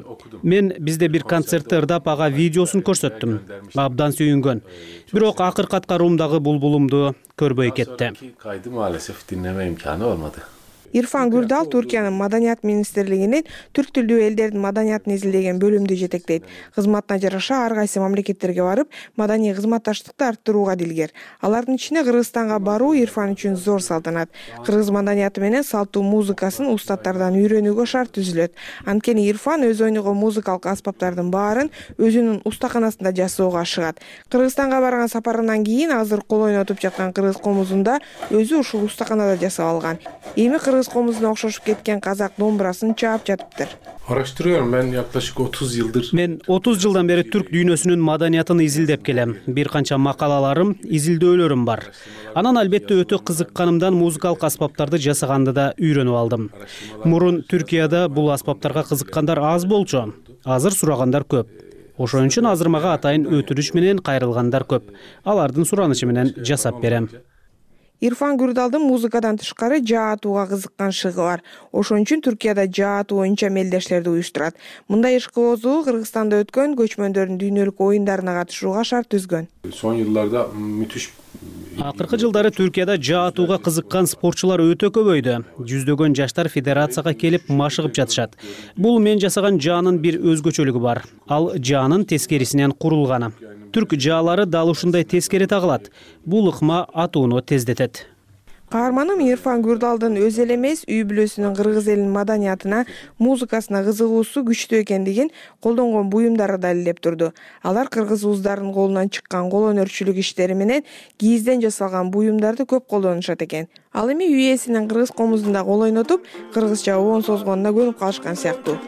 Мен бизде бир концертти ырдап ага видеосун көрсөттүм. Абдан сүйүнгөн. Бирок акыркы аткаруумдагы булбулумду көрбөй кетти.
Kaydı maalesef dinleme imkanı olmadı.
Ирфан Гүрдал Түркиянын маданият министрлигинин түрк тилдүү элдердин маданиятын изилдеген бөлүмдү жетектейт. Кызматына жараша ар кайсы мамлекеттерге барып, маданий кызматташтыкты арттырууга дилгер. Алардын ичинде Кыргызстанга баруу Ирфан үчүн зор салтанат. Кыргыз маданияты менен салттуу музыкасын устаттардан үйрөнүүгө шарт түзүлөт. Анткени Ирфан өз ойногон музыкалык аспаптардын баарын өзүнүн устаканасында жасоого ашыгат. Кыргызстанга барган сапарынан кийин азыр кол ойнотуп жаткан кыргыз комузунда өзү ушул устаканада жасап алган. Эми кыргыз комузуна окшошуп кеткен казак домбурасын чаап жатыптыр.
Araştırıyorum ben yaklaşık 30 yıldır.
Мен 30 жылдан бери түрк дүйнөсүнүн маданиятын изилдеп келем. Бир канча макалаларым, изилдөөлөрүм бар. Анан албетте өтө кызыкканымдан музыкалык аспаптарды жасаганды да үйрөнүп алдым. Мурун Түркияда бул аспаптарга кызыккандар аз болчу. Азыр сурагандар көп. Ошон үчүн азыр мага атайын өтүнүч менен кайрылгандар көп. Алардын суранычы менен жасап берем.
Ирфан Гүрдалдын музыкадан тышкары жаа атууга кызыккан шыгы бар. Ошон үчүн Түркияда жаа атуу боюнча мелдештерди уюштурат. Мындай ишкыбоздугу Кыргызстанда өткөн көчмөндөрдүн дүйнөлүк оюндарына катышууга шарт түзгөн.
Son yıllarda müthiş.
Акыркы жылдары Түркияда жаа атууга кызыккан спортчулар өтө көбөйдү. Жүздөгөн жаштар федерацияга келип машыгып жатышат. Бул мен жасаган жаанын бир өзгөчөлүгү бар. Ал жаанын тескерисинен курулганы. Түрк жаалары дал ушундай тескери тагылат. Бул ыкма атууну тездетет.
Каарманым Ирфан Гүрдалдын өз эле эмес, үй бүлөсүнүн кыргыз элинин маданиятына, музыкасына кызыгуусу күчтүү экендигин колдонгон буюмдары далилдеп турду. Алар кыргыз уздарын колунан чыккан кол өнөрчүлүк иштери менен кийизден жасалган буюмдарды көп колдонушат экен. Ал эми үй ээсинин кыргыз комузунда кол ойнотуп, кыргызча оон созгонуна көнүп калышкан сыяктуу.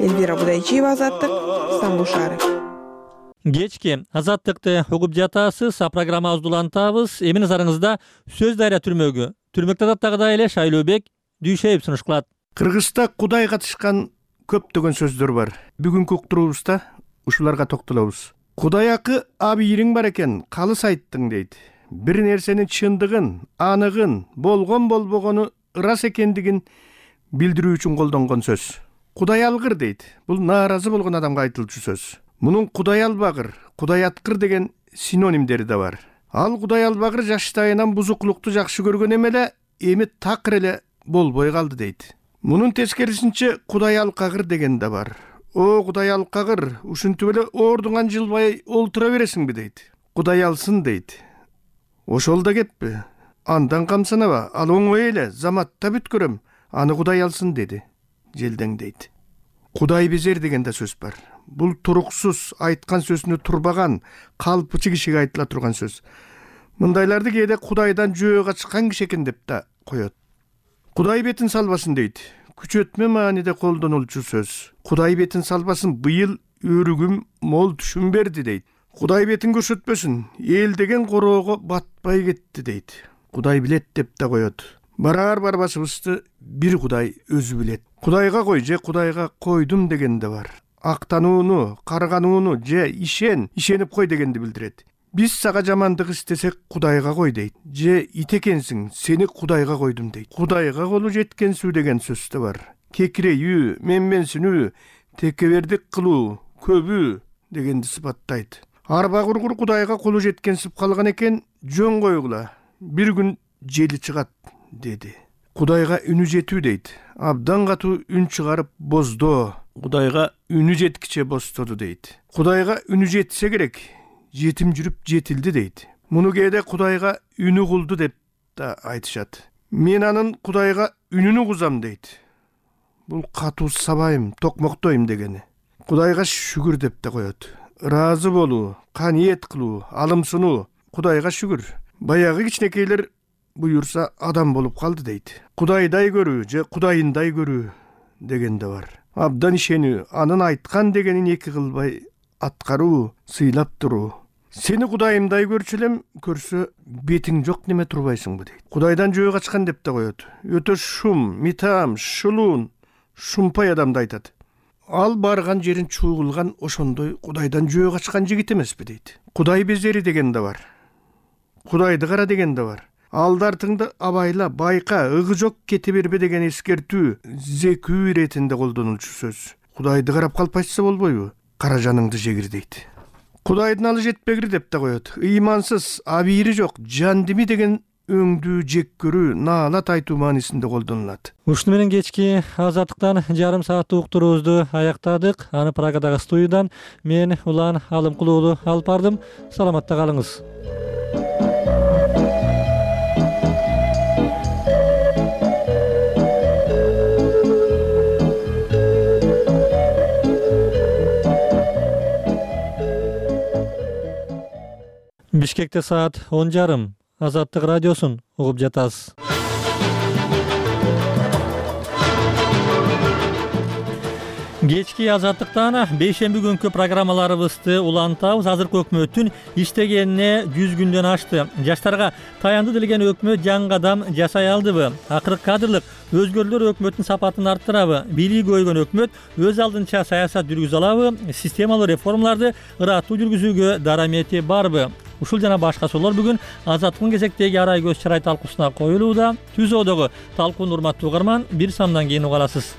Элвира Будайчиева, Азаттык, Стамбул шаары.
Кечки Азаттыкты угуп жатасыз, программабызды улантабыз. Эми назарыңызда сөз дайра түрмөгү. Түрмөктө даттагыдай эле Шайлообек Дүйшеев сунуш кылат.
Кыргызда Кудай катышкан көптөгөн сөздөр бар. Бүгүнкү уктуруубузда ушуларга токтолобуз. Кудай акы абийириң бар экен, калыс айттың дейт. Бир нерсенин чындыгын, аныгын, болгон болбогону ырас экендигин билдирүү үчүн колдонгон сөз. Кудай алгыр дейт. Бул нааразы болгон адамга айтылчу сөз. Мунун Кудай албагыр, Кудай аткыр деген синонимдери да бар. Ал Кудай албагыр жаштайынан бузуклукту жакшы көргөн эмеле, эми такыр эле болбой калды дейт. Мунун тескерисинче Кудай алкагыр деген да бар. О, Кудай алкагыр, ушинтип эле ордуңан жылбай олтура бересиңби дейт. Кудай алсын дейт. Ошол да кетпи. Андан камсанаба, ал оңой эле, заматта бүткөрөм, аны Кудай алсын деди. Желдең дейт. Кудай безер деген да сөз бар. Бул туруксуз, айткан сөзүнө турбаган, калпычы кишиге айтыла турган сөз. Мындайларды кээде Кудайдан жөө качкан киши экен деп да коет. Кудай бетин салбасын дейт. Күчөтмө мааниде колдонулчу сөз. Кудай бетин салбасын, быйыл өрүгүм мол түшүм берди дейт. Кудай бетин көрсөтпөсүн, эл деген короого батпай кетти дейт. Кудай билет деп да коет. Барар барбашыбызды бир Кудай өзү билет. Кудайга кой же Кудайга койдум деген да бар. Актанууну, карганууну же ишенип кой дегенди билдирет. Биз сага жамандык истесек Кудайга кой дейт. Же ит экенсиң, сени Кудайга койдум дейт. Кудайга колу жеткенсүү деген сөз да бар. Кекирейүү, менменсинүү, текебердик кылуу, көбүү дегенди сыпаттайт. Арба кургур Кудайга колу жеткенсип калган экен, жөн койгула. Бир күн жели чыгат деди. Кудайга үнү жетүү дейт. Абдан катуу үн чыгарып боздоо. Кудайга үнү жеткиче бостоду дейт. Кудайга үнү жетсе керек, жетим жүрүп жетилди дейт. Муну кээде Кудайга үнү кулду деп да айтышат. Мен анын Кудайга үнүнү кузам дейт. Бул катуу сабайым, токмоктойм дегени. Кудайга шүгүр деп да коет. Ыраазы болуу, каниет кылуу, алымсынуу. Кудайга шүгүр. Баягы кичинекейлер буюрса адам болуп калды дейт. Кудайдай көрүү же Кудайындай көрүү деген да бар. Абдан ишенүү, анын айткан дегенин эки кылбай аткаруу, сыйлап туруу. Сени Кудайымдай көрчү элем, көрсө бетиң жок неме турбайсыңбы дейт. Кудайдан жөө качкан деп да коет. Өтө шум, митам, шулуун, шумпай адамды айтат. Ал барган жерин чуугулган ошондой Кудайдан жөө качкан жигит эмеспи дейт. Кудай безери деген да бар. Кудайды кара деген да бар. Алдартыңды абайла, байка, ыгы жок кете бербе деген эскертүү зекүү иретинде колдонулчу сөз. Кудайды карап калпайчса болбойбу? Кара жаныңды жегир дейт. Кудайдын алы жетпегир деп да коет. Ыймансыз, абийири жок, жандими деген өңдүү жек көрүү наалат айтуу маанисинде колдонулат.
Ушуну менен кечки азаттыктан жарым сааттык уктуруубузду аяктадык. Аны Прагадагы студиядан мен Улан Алымкул уулу алып бардым. Саламатта калыңыз. Бишкекте саат 10:30. Азаттык радиосун угуп жатасыз. Кечки азаттыктан бейшемби күнкү программаларыбызды улантабыз. Азыркы өкмөттүн иштегенине 100 күндөн ашты. Жаштарга таянды делген өкмөт жаңы кадам жасай алдыбы? Акыркы кадрлык өзгөрүүлөр өкмөттүн сапатын арттырабы? Бийлиги көйгөн өкмөт өз алдынча саясат жүргүзө алабы? Системалуу реформаларды ыраттуу жүргүзүүгө дарамети барбы? Ушул жана башка суроолор бүгүн Азаттыктын кезектеги арай көз чырай талкуусуна коюлууда. Түзөөдөгү талкууну урматтуу угарман, бир самдан кийин уга аласыз.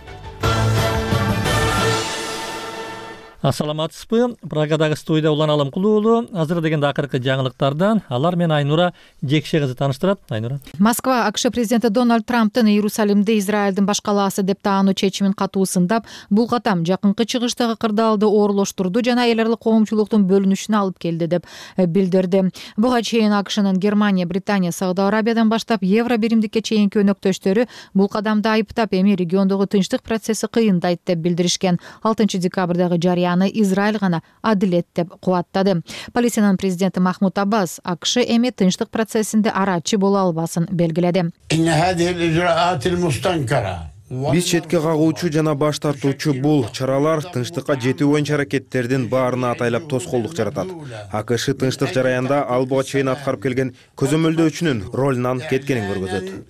Ассаламатсызбы? Прагадагы студияда Улан Алымкул уулу. Азыр дегенде акыркы жаңылыктардан алар менен Айнура Жекше кызы тааныштырат. Айнура.
Москва АКШ президенти Дональд Трамптын Иерусалимди Израилдин баш калаасы деп таануу чечимин катуусундап, бул катам жакынкы чыгыштагы кырдаалды оорлоштурду жана эл аралык коомчулуктун бөлүнүшүнө алып келди деп билдирди. Буга чейин АКШнын Германия, Британия, Сауд Арабиядан баштап Евро биримдикке чейинки өнөктөштөрү бул кадамды айыптап, эми региондогу тынчтык процесси кыйындайт деп билдиришкен. 6 декабрдагы жарыяны Израиль гана адилет деп кубаттады. Палестинанын президенти Махмуд Аббас АКШ эми тынчтык процессинде арачы боло албасын белгиледи.
Биз четке кагуучу жана баш тартуучу бул чаралар тынчтыкка жетүү боюнча аракеттердин баарына атайлап тоскоолдук жаратат. АКШ тынчтык жараянда ал буга чейин аткарып келген көзөмөлдөөчүнүн ролунан кеткенин көргөзөт.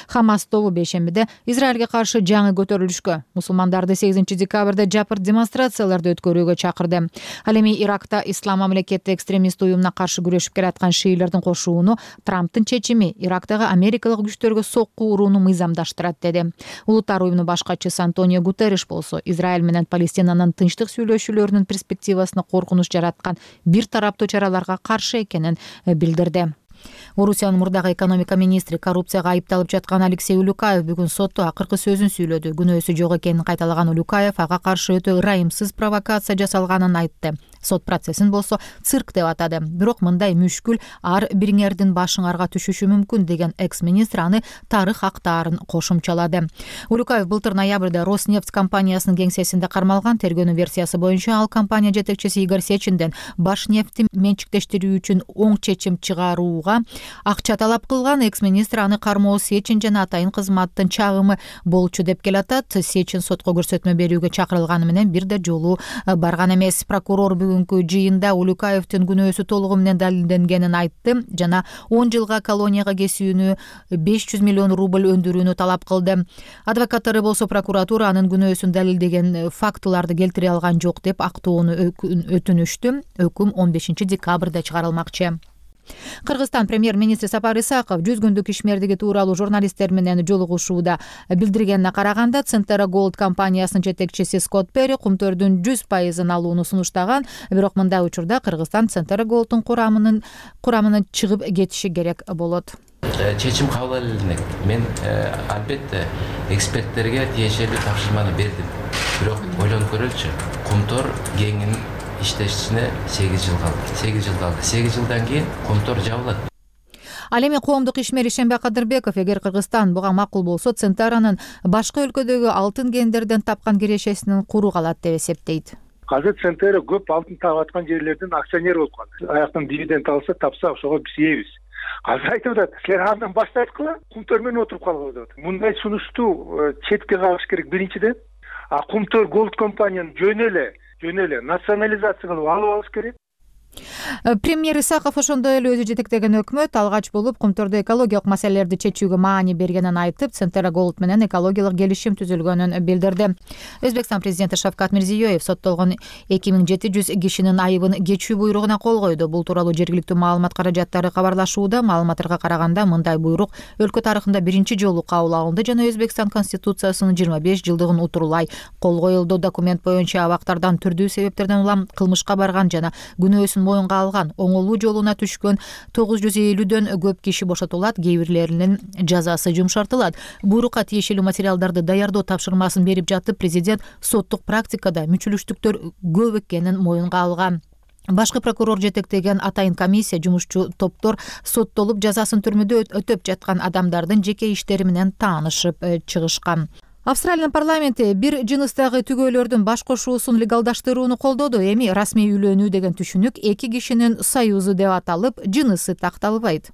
Хамас тобу бейшембиде Израилге каршы жаңы көтөрүлүшкө, мусулмандарды 8 декабрда жапыр демонстрацияларды өткөрүүгө чакырды. Ал эми Иракта ислам мамлекети экстремист уюмуна каршы күрөшүп келаткан шиилердин кошууну Трамптын чечими Ирактагы америкалык күчтөргө сокку урууну мыйзамдаштырат деди. Улуттар уюмунун башкачысы Антонио Гутерриш болсо, Израиль менен Палестинанын тынчтык сүйлөшүүлөрүнүн перспективасына коркунуч жараткан бир тараптуу чараларга каршы экенин билдирди. Орусиянын мурдагы экономика министри коррупцияга айыпталып жаткан Алексей Улюкаев бүгүн сотто акыркы сөзүн сүйлөдү. Күнөөсү жок экенин кайталаган Улюкаев ага каршы өтө ырайымсыз провокация жасалганын айтты. Сот процессин болсо цирк деп атады. Бирок мындай мүшкүл ар бириңердин башыңарга түшүшү мүмкүн деген экс-министр аны тарых актаарын кошумчалады. Улюкаев былтыр ноябрда Роснефть компаниясынын кеңсесинде кармалган. Тергөөнүн версиясы боюнча ал компания жетекчиси Игорь Сечинден Башнефтти менчиктештирүү үчүн оң чечим чыгарууга акча талап кылган. Экс-министр аны кармоо Сечин жана атайын кызматтын чагымы болчу деп келатат. Сечин сотко көрсөтмө берүүгө чакырылганы менен бир да жолу барган эмес. Прокурор бүгүнкү жыйында Улюкаевдин күнөөсү толугу менен далилденгенин айтты жана 10 жылга колонияга кесүүнү 500 миллион рубль өндүрүүнү талап кылды. Адвокаттары болсо прокуратура анын күнөөсүн далилдеген фактыларды келтире алган жок деп актоону өтүнүштү. Өкүм 15 декабрда чыгарылмакчы. Кыргызстан премьер-министри Сапар Исаков 100 күндүк ишмердиги тууралуу журналисттер менен жолугушууда билдиргенине караганда, Центера Голд компаниясынын жетекчиси Скотт Перри кумтөрдүн 100% алууну сунуштаган. Бирок мындай учурда Кыргызстан Центера Голдтун курамынан чыгып кетиши керек болот.
Чечим кабыл элек. Мен албетте эксперттерге тиешелүү тапшырманы бердим. Бирок ойлонуп көрөлүчү. Кумтор кеңинин иштешине 8 жыл калды. 8 жылдан кийин Кумтор жабылат.
Ал эми коомдук ишмер Ишембек Кадырбеков, эгер Кыргызстан буга макул болсо, Центаранын башка өлкөдөгү алтын кендерден тапкан кирешесинин куру калат деп эсептейт.
Азыр Центера көп алтын таап аткан жерлердин акционери болуп калды. Аяктан дивиденд алса, тапса, ошого биз ийебиз. Азыр айтып атат, силер андан баштайткыла, Кумтор менен отуруп калгыла деп атат. Мындай сунушту четке кагыш керек биринчиден. Кумтор Голд компанияны жөн эле национализация кылып алып алыш керек.
Премьер Исаков ошондой эле өзү жетектеген өкмөт алгач болуп кумтордо экологиялык маселелерди чечүүгө маани бергенин айтып, Центра Голд менен экологиялык келишим түзүлгөнүн билдирди. Өзбекстан президенти Шавкат Мирзиёев соттолгон 2700 кишинин айыбын кечүү буйругуна кол койду. Бул тууралуу жергиликтүү маалымат каражаттары кабарлашууда. Маалыматтарга караганда мындай буйрук өлкө тарыхында биринчи жолу кабыл алынды жана Өзбекстан конституциясынын 25 жылдыгын утурлай кол коюлду. Документ боюнча абактардан түрдүү себептерден улам кылмышка барган жана күнөөсүн моюнга алган, оңолуу жолуна түшкөн 950дөн көп киши бошотулат, кээ бирлеринин жазасы жумшартылат. Буйрукка тиешелүү материалдарды даярдоо тапшырмасын берип жатып, президент соттук практикада мүчүлүштүктөр көп экенин моюнга алган. Башкы прокурор жетектеген атайын комиссия жумушчу топтор соттолуп жазасын түрмөдө өтөп жаткан адамдардын жеке иштери менен таанышып чыгышкан. Австралиянын парламенти бир жыныстагы түгөөлөрдүн баш кошуусун легалдаштырууну колдоду. Эми расмий үйлөнүү деген түшүнүк эки кишинин союзу деп аталып, жынысы такталбайт.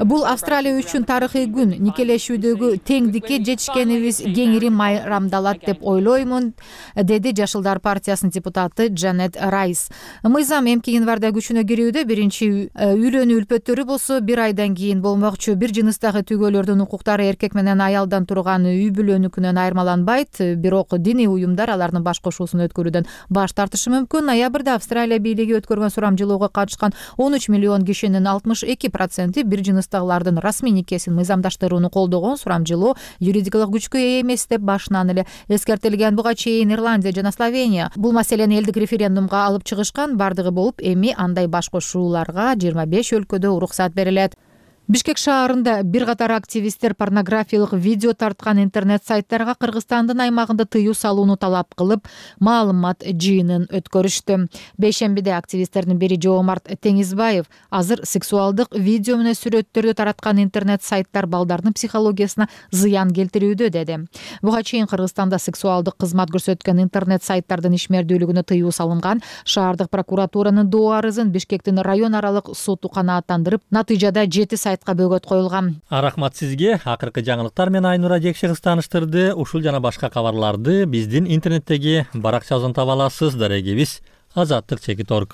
Бул Австралия үчүн тарыхый күн. Никелешүүдөгү теңдикке жетишкенибиз кеңири майрамдалат деп ойлоймун, деди Жашылдар партиясынын депутаты Джанет Райс. Мыйзам эмки январда күчүнө кирүүдө, биринчи үйлөнүү үлпөттөрү болсо 1 айдан кийин болмокчу. Бир жыныстагы түгөөлөрдүн укуктары эркек менен аялдан турган үй бүлөнүкүнөн айырмаланбайт, бирок диний уюмдар алардын баш кошуусун өткөрүүдөн баш тартышы мүмкүн. Ноябрда Австралия бийлиги өткөргөн сурамжылоого катышкан 13 миллион кишинин 62% бир жыныстагылардын расмий никесин мыйзамдаштырууну колдогон. Сурамжылоо юридикалык күчкө ээ эмес деп башынан эле эскертилген. Буга чейин Ирландия жана Словения бул маселени элдик референдумга алып чыгышкан. Бардыгы болуп, эми андай баш кошууларга 25 өлкөдө уруксат берилет. Бишкек шаарында бир катар активисттер порнографиялык видео тарткан интернет сайттарга Кыргызстандын аймагында тыюу салууну талап кылып, маалымат жыйынын өткөрүштү. Бейшембиде активисттердин бири Жоомарт Теңизбаев азыр сексуалдык видео менен сүрөттөрдү тараткан интернет сайттар балдардын психологиясына зыян келтирүүдө деди. Буга чейин Кыргызстанда сексуалдык кызмат көрсөткөн интернет сайттардын ишмердүүлүгүнө тыюу салынган. Шаардык прокуратуранын доо арызын Бишкектин район аралык соту канааттандырып, натыйжада 7 сайт бөгөт коюлган.
Рахмат сизге. Акыркы жаңылыктар менен Айнура Жекшегиз тааныштырды. Ушул жана башка кабарларды биздин интернеттеги баракчабыздан таба аласыз. Дарегибиз azatlyk.org.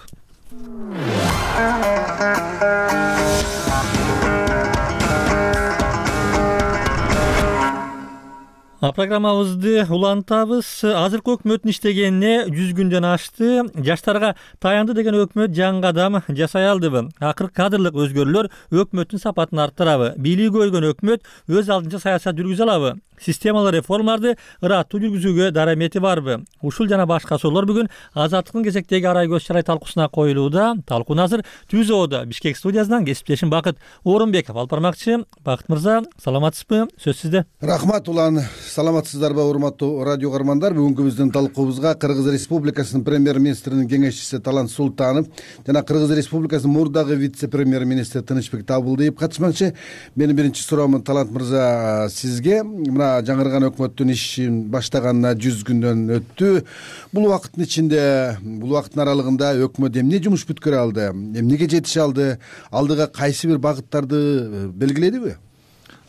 Программабызды улантабыз. Азыркы өкмөттүн иштегенине 100 күндөн ашты. Жаштарга таянды деген өкмөт жаңы кадам жасай алдыбы? Акыркы кадрлык өзгөрүүлөр өкмөттүн сапатын арттырабы? Бийлиги өйгөн өкмөт өз алдынча саясат жүргүзө алабы? Системалык реформаларды ыраттуу жүргүзүүгө дарамети барбы? Ушул жана башка суроолор бүгүн Азаттыктын кезектеги арай көз чарай талкуусуна коюлууда. Талкууну азыр Түзөөдө Бишкек студиясынан кесиптешим Бакыт Орунбеков алып бармакчы. Бакыт мырза, саламатсызбы? Сөз сизде.
Рахмат улан. Саламатсыздарбы, урматтуу радио көрөрмандар? Бүгүнкү биздин талкуубузга Кыргыз Республикасынын премьер-министринин кеңешчиси Талант Султанов жана Кыргыз Республикасынын мурдагы вице-премьер-министри Тынычбек Табылдиев катышмакчы. Менин биринчи суроомун Талант мырза сизге. Мына жаңырган өкмөттүн ишин баштаганына 100 күндөн өттү. Бул убакыттын ичинде, бул убакыттын аралыгында өкмөт эмне жумуш бүткөрө алды? Эмнеге жетише алды? Алдыга кайсы бир багыттарды белгиледиби?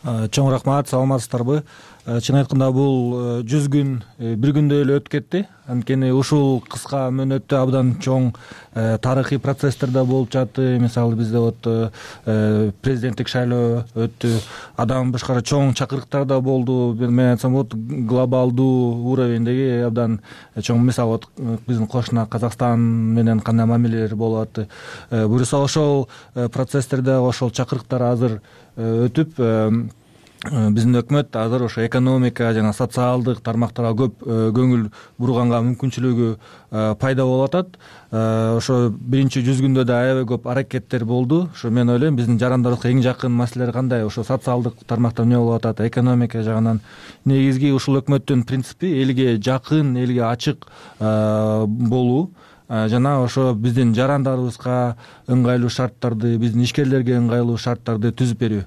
Чоң рахмат, саламатсыздарбы? Чын айтканда бул 100 күн бир күндө эле өтүп кетти. Анткени ушул кыска мөөнөттө абдан чоң тарыхый процесстер да болуп жатты. Мисалы бизде президенттик шайлоо өттү. Адам башкара чоң чакырыктар да болду. Мен айтсам глобалдуу уровендеги абдан чоң, мисалы биздин кошуна Казакстан менен кандай мамилелер болуп атты. Буюрса ошол процесстерде ошол чакырыктар азыр өтүп, биздин өкмөт азыр ошо экономика жана социалдык тармактарга көп көңүл бурганга мүмкүнчүлүгү пайда болуп атат. Ошо биринчи 100 күндө да аябай көп аракеттер болду. Ошо мен ойлойм, биздин жарандарыбызга эң жакын маселелер кандай? Ошо социалдык тармакта эмне болуп атат, экономика жагынан. Негизги ушул өкмөттүн принципи элге жакын, элге ачык болуу жана ошо биздин жарандарыбызга ыңгайлуу шарттарды, биздин ишкерлерге ыңгайлуу шарттарды түзүп берүү.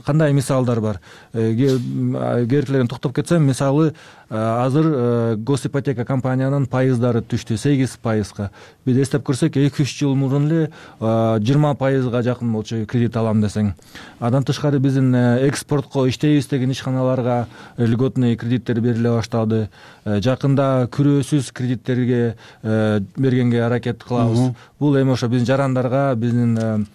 кандай мисалдар бар? Керектелерин токтоп кетсем, мисалы азыр госипотека компаниянын пайыздары түштү 8%. Биз эстеп көрсөк 2-3 жыл мурун эле 20%га жакын болчу кредит алам десең. Андан тышкары биздин экспортко иштейбиз деген ишканаларга льготный кредиттер бериле баштады. Жакында күрөөсүз кредиттерге бергенге аракет кылабыз. Бул эми ошо биздин жарандарга, биздин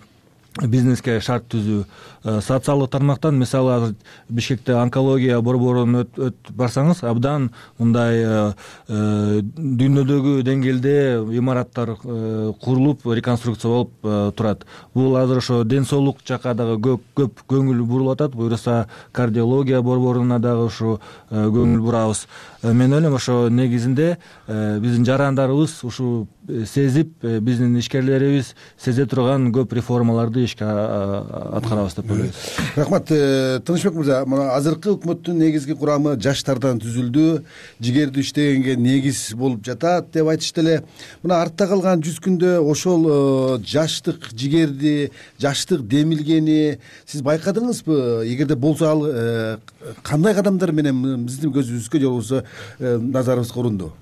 бизнеске шарт түзүү. Социалдык тармактан мисалы азыр Бишкекте онкология борборун барсаңыз, абдан мындай дүйнөдөгү деңгээлде имараттар курулуп, реконструкция болуп турат. Бул азыр ошо ден соолук жакка дагы көп көңүл бурулуп атат. Буюрса кардиология борборуна дагы ушу көңүл бурабыз. Мен ойлойм, ошо негизинде биздин жарандарыбыз ушу сезип, биздин ишкерлерибиз сезе турган көп реформаларды ишке аткарабыз деп ойлойбуз.
Рахмат. Тынычбек мырза, мына азыркы өкмөттүн негизги курамы жаштардан түзүлдү, жигердүү иштегенге негиз болуп жатат деп айтышты эле. Мына артта калган 100 күндө ошол жаштык жигерди, жаштык демилгени сиз байкадыңызбы? Эгерде болсо, ал кандай кадамдар менен биздин көзүбүзгө же болбосо назарыбызга урунду?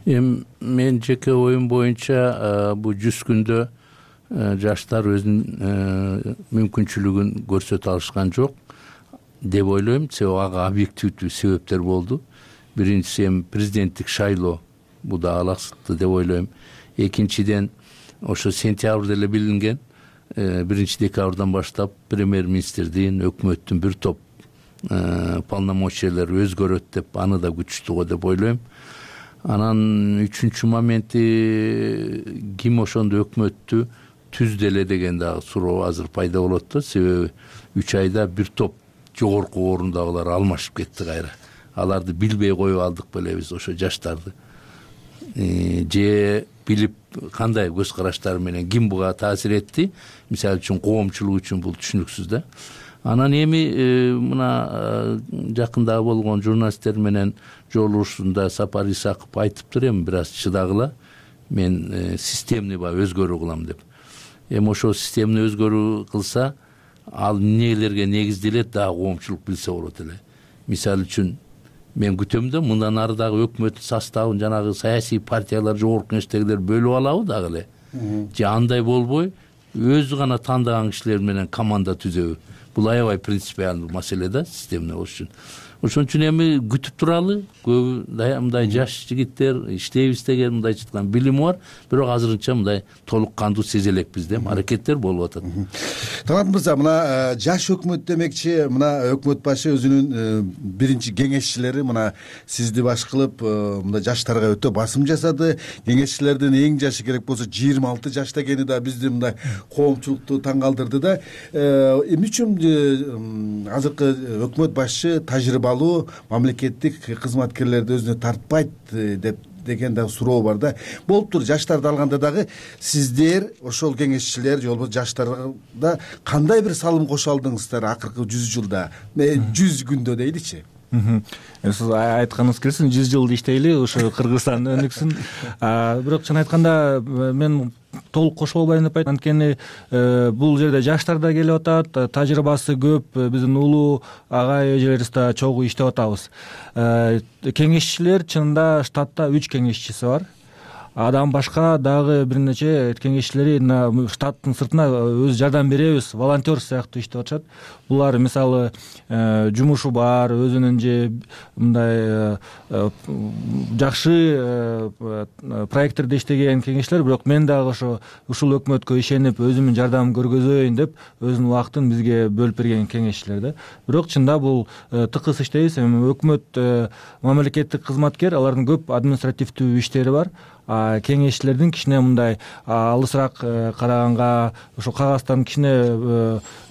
Мен жеке оюм боюнча бул 100 күндө жаштар өзүнүн мүмкүнчүлүгүн көрсөтө алышкан жок деп ойлойм. Себеби ага объективдүү себептер болду. Биринчиси эми президенттик шайлоо, бул да алаксытты деп ойлойм. Экинчиден ошо сентябрда эле билинген, 1-декабрдан баштап премьер-министрдин, өкмөттүн бир топ полномочиялары өзгөрөт деп, аны да күчтүү го деп ойлойм. Анан үчүнчү моменти ким ошондо өкмөттү түздү эле деген дагы суроо азыр пайда болот да. Себеби 3 айда бир топ жогорку орундагылар алмашып кетти кайра. Аларды билбей коюп алдык беле биз ошо жаштарды. Же билип кандай көз караштары менен ким буга таасир этти? Мисалы үчүн коомчулук үчүн бул түшүнүксүз да. Анан эми мына жакында болгон журналисттер менен жолугушуусунда Сапар Исаков айтыптыр, эми бир аз чыдагыла, мен системный өзгөрүү кылам деп. Эми ошо системный өзгөрүү кылса, ал эмнелерге негизделет дагы коомчулук билсе болот эле. Мисалы үчүн мен күтөм да, мындан ары дагы өкмөттүн составын жанагы саясий партиялар, жогорку кеңештегилер бөлүп алабы дагы эле. Же андай болбой, өзү гана тандаган кишилер менен команда түзөбү. Бул аябай принципиалдуу маселе да, системный болуш үчүн. Ошон үчүн эми күтүп туралы, көбү мындай жаш жигиттер иштейбиз деген мындай чыккан билими бар, бирок азырынча мындай толук кандуу сезе элекпиз деп аракеттер болуп атат.
Талант мырза, мына жаш өкмөт демекчи, мына өкмөт башы өзүнүн биринчи кеңешчилери мына сизди баш кылып, мындай жаштарга өтө басым жасады. Кеңешчилердин эң жашы керек болсо 26 жашта экени да бизди мындай коомчулукту таң калтырды да. Эмне үчүн азыркы өкмөт башы тажрыйбалуу мамлекеттик кызматкерлерди өзүнө тартпайт деген да суроо бар да. Болуптур, жаштарды алганда дагы сиздер ошол кеңешчилер же болбосо жаштарда кандай бир салым кошо алдыңыздар акыркы 100 жылда, 100 күндө дейличи?
Сиз айтканыңыз келсин, 100 жыл иштейли, ошо Кыргызстан өнүксүн. Бирок чын айтканда мен толук кошуп албайм деп айтам. Анткени бул жерде жаштар да келип атат, тажрыйбасы көп, биздин улуу агай эжелерибиз да чогуу иштеп атабыз. Кеңешчилер чынында штатта 3 кеңешчиси бар. Адам башка дагы бир нече кеңешчилери штаттын сыртына өз жардам беребиз, волонтер сыяктуу иштеп атышат. Булар мисалы жумушу бар, өзүнүн же мындай жакшы проекттерде иштеген кеңешчилер, бирок мен дагы ушул өкмөткө ишенип өзүмдүн жардамымды көргөзөйүн деп өзүнүн убактын бизге бөлүп берген кеңешчилер да. Бирок чында бул тыкыз иштейбиз. Эми өкмөт мамлекеттик кызматкер, алардын көп административдүү иштери бар. Кеңешчилердин кичине мындай алысыраак караганга, ошо кагаздан кичине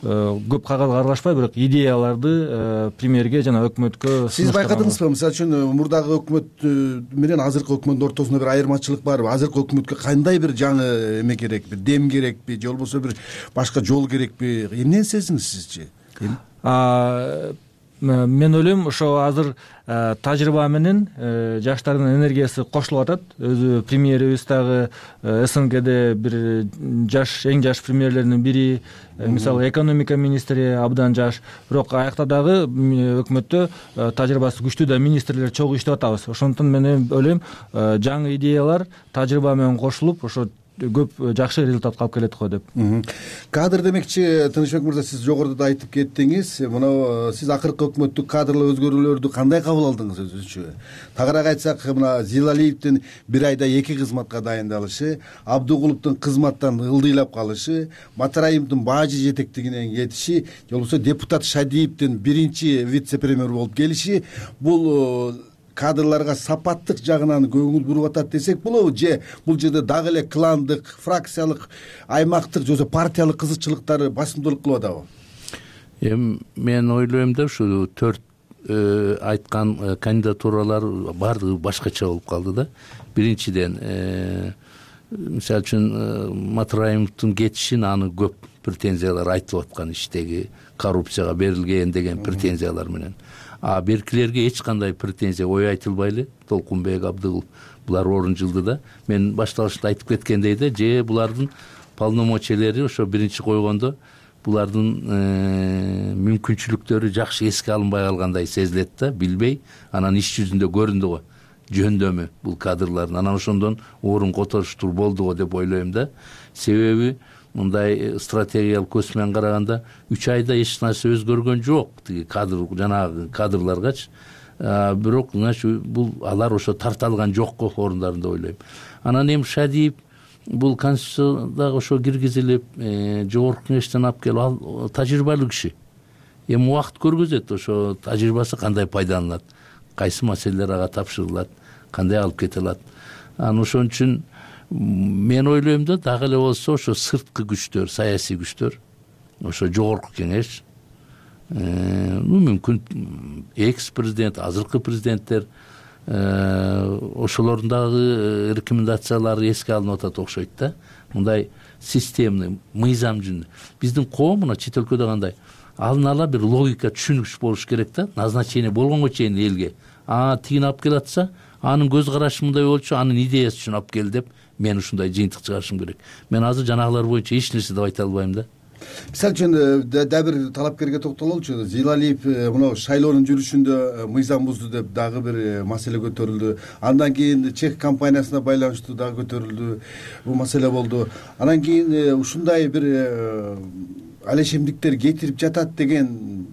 көп кагазга аралашпай, бирок идеяларды премьерге жана өкмөткө.
Сиз байкадыңызбы, мисалы үчүн мурдагы өкмөт менен азыркы өкмөттүн ортосунда бир айырмачылык барбы? Азыркы өкмөткө кандай бир жаңы эме керекпи, дем керекпи, же болбосо бир башка жол керекпи? Эмнени сездиңиз сизчи?
мен ойлойм ошо азыр тажрыйба менен жаштардын энергиясы кошулуп атат. Өзү премьерибиз дагы СНГде бир эң жаш премьерлердин бири. Мисалы экономика министри абдан жаш. Бирок аякта дагы өкмөттө тажрыйбасы күчтүү да министрлер чогуу иштеп атабыз. Ошондуктан мен ойлойм жаңы идеялар тажрыйба менен кошулуп ошо көп жакшы результатка алып келет го деп.
Кадр демекчи, Тынычбек мырза, сиз жогоруда да айтып кеттиңиз. Мына сиз акыркы өкмөттүк кадрлык өзгөрүүлөрдү кандай кабыл алдыңыз өзүнчө? Тагыраак айтсак, мына Зилалиевдин бир айда 2 кызматка дайындалышы, Абдыгуловдун кызматтан ылдыйлап калышы, Матараимовдун бажы жетектигинен кетиши, же болбосо депутат Шадиевдин биринчи вице-премьер болуп келиши, бул кадрларга сапаттык жагынан көңүл буруп атат десек болобу, же бул жерде дагы эле кландык, фракциялык, аймактык же партиялык кызыкчылыктары басымдуулук кылып атабы?
Мен ойлойм да ушу 4 айткан кандидатуралар баардыгы башкача болуп калды да. Биринчиден, мисалы үчүн Матараимовдун кетишин аны көп претензиялар айтып аткан, иштеги коррупцияга берилген деген претензиялар менен. Беркилерге эч кандай претензия, ой айтылбай эле. Толкунбек, Абдыгулов булар орун жылды да. Мен башталышта айтып кеткендей да, же булардын полномочиялери ошо биринчи койгондо булардын мүмкүнчүлүктөрү жакшы эске алынбай калгандай сезилет да, билбей. Анан иш жүзүндө көрүндү го жөндөмү бул кадрлардын. Анан ошондон орун которуштур болду го деп ойлойм да. Себеби мындай стратегиялык көз менен караганда 3 айда эч нерсе өзгөргөн жок. Тиги кадр, жанагы кадрларгачы. Бирок, бул алар ошо тарта алган жок го орундарында ойлойм. Анан эми Шадиев бул конституцияга ошо киргизилип, жогорку кеңештен алып келип, ал тажрыйбалуу киши. Эми убакыт көргөзөт ошо тажрыйбасы кандай пайдаланылат, кайсы маселелер ага тапшырылат, кандай алып кете алат. Анан ошон үчүн мен ойлойм да, дагы эле болсо ошо сырткы күчтөр, саясий күчтөр, ошо жогорку кеңеш, мүмкүн экс-президент, азыркы президенттер, ошолордун дагы рекомендациялары эске алынып атат окшойт да. Мындай системный, мыйзам жүзүндө. Биздин коом мына чет өлкөдө кандай? Алдын ала бир логика, түшүнүксүз болуш керек да. Назначение болгонго чейин элге. Тигин алып келатса, анын көз карашы мындай болчу, анын идеясы үчүн алып кел деп мен ушундай жыйынтык чыгарышым керек. Мен азыр жанагылар боюнча эч нерсе деп айта албайм да.
Мисалы үчүн дагы бир талапкерге токтололучу. Зилалиев мына шайлоонун жүрүшүндө мыйзам бузду деп дагы бир маселе көтөрүлдү. Андан кийин чек компаниясына байланыштуу дагы көтөрүлдү. Бул маселе болду. Андан кийин ушундай бир алешемдиктер кетирип жатат деген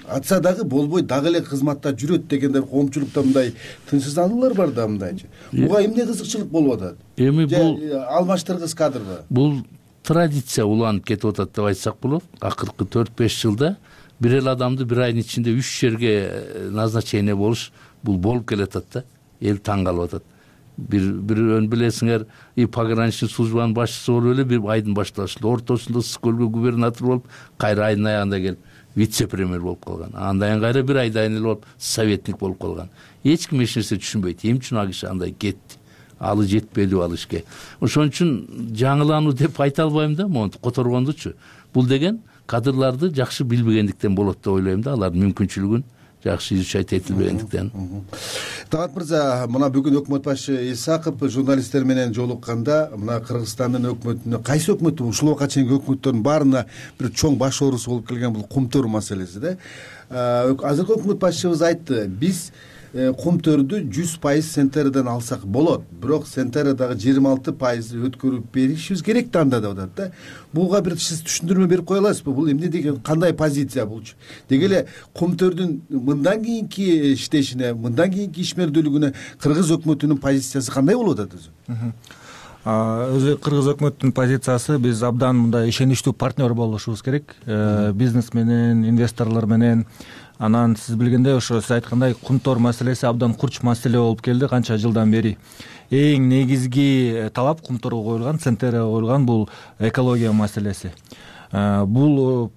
атса дагы болбой, дагы эле кызматта жүрөт дегендер коомчулукта мындай тынчсыздануулар бар да мындайчы. Буга эмне кызыкчылык болуп атат?
Эми бул
алмаштыргыс кадрбы?
Бул традиция уланып кетип атат деп айтсак болот. Акыркы 4-5 жылда бир эле адамды бир айдын ичинде 3 жерге назначение болуш бул болуп келатат да. Эл таң калып атат. Бир билесиңер, пограничный службанын башчысы болуп эле бир айдын башталышында, ортосунда Ысык-Көлгө губернатор болуп, кайра айдын аягында келип вице-премьер болуп калган. Андан кайра бир айдан эле болуп советник болуп калган. Эч ким эч нерсе түшүнбөйт. Эмне үчүн ал киши андай кетти? Алы жетпеди ал ишке. Ошон үчүн жаңылануу деп айта албайм да, монтип которгондучу. Бул деген кадрларды жакшы билбегендиктен болот деп ойлойм да, алардын мүмкүнчүлүгүн жакшы изучать этилбегендиктен.
Талант мырза, мына бүгүн өкмөт башы Исаков журналисттер менен жолукканда, мына Кыргызстандын өкмөтүнө, кайсы өкмөттү, ушул убакка чейинки өкмөттөрдүн баарына бир чоң баш оорусу болуп келген бул кумтөр маселеси да. Азыркы өкмөт башчыбыз айтты, биз кумтөрдү 100% Сентерден алсак болот, бирок Сентердагы 26% өткөрүп беришибиз керек да анда деп атат да. Буга бир сиз түшүндүрмө берип кое аласызбы? Бул эмне деген, кандай позиция булчу? Деги эле кумтөрдүн мындан кийинки иштешине, мындан кийинки ишмердүүлүгүнө кыргыз өкмөтүнүн позициясы кандай болуп атат өзү?
Өзү кыргыз өкмөттүн позициясы, биз абдан мындай ишеничтүү партнер болушубуз керек. Бизнес менен, инвесторлор менен. Анан сиз билгендей, ошо сиз айткандай кумтор маселеси абдан курч маселе болуп келди канча жылдан бери. Эң негизги талап кумторго коюлган, Центерге коюлган бул экология маселеси. Бул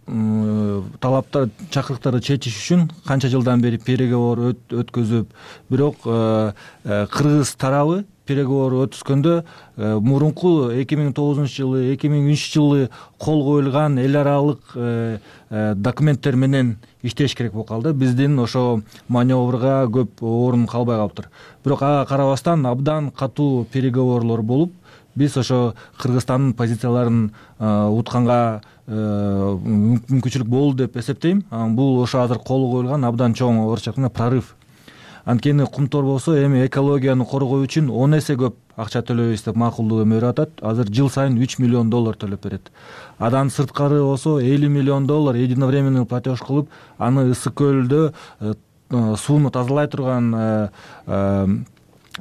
талаптар, чакырыктарды чечиш үчүн канча жылдан бери переговор өткөзүп, бирок кыргыз тарабы переговор өткөзгөндө мурунку 2009-жылы 2003-жылы кол коюлган эл аралык документтер менен иштеш керек болуп калды. Биздин ошо маневрга көп орун калбай калыптыр. Бирок ага карабастан абдан катуу переговорлор болуп, биз ошо Кыргызстандын позицияларын утканга мүмкүнчүлүк болду деп эсептейм. Бул ошо азыр кол коюлган абдан чоң орусча айтканда прорыв. Анткени кумтор болсо эми экологияны коргоо үчүн 10 эсе көп акча төлөйбүз деп макулдук берип атат. Азыр жыл сайын $3 миллион төлөп берет. Адан сырткары болсо $50 миллион единовременный платеж кылып, аны ысык көлдө сууну тазалай турган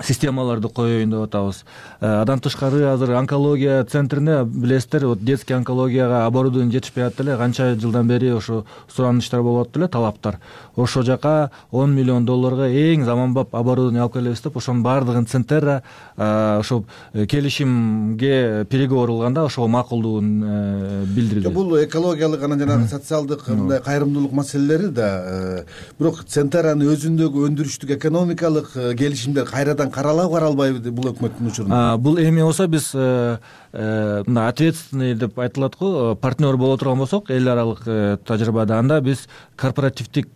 системаларды коеюн деп атабыз. Адан тышкары азыр онкология центрине билесиздер, детский онкологияга оборудование жетишпей атат эле, канча жылдан бери ошо суранычтар болуп атат эле, талаптар. Ошо жака $10 миллион эң заманбап оборудование алып келебиз деп, ошонун баардыгын Центерра ошо келишимге переговор кылганда ошого макулдугун билдирди.
Бул экологиялык анан жанагы социалдык мындай кайрымдуулук маселелери да, бирок Центерранын өзүндөгү өндүрүштүк экономикалык келишимдер кайрадан каралбайбы бул өкмөттүн учурунда? Бул
эми болсо биз мына ответственный деп айтылат го, партнер боло турган болсок эл аралык тажрыйбада, анда биз корпоративдик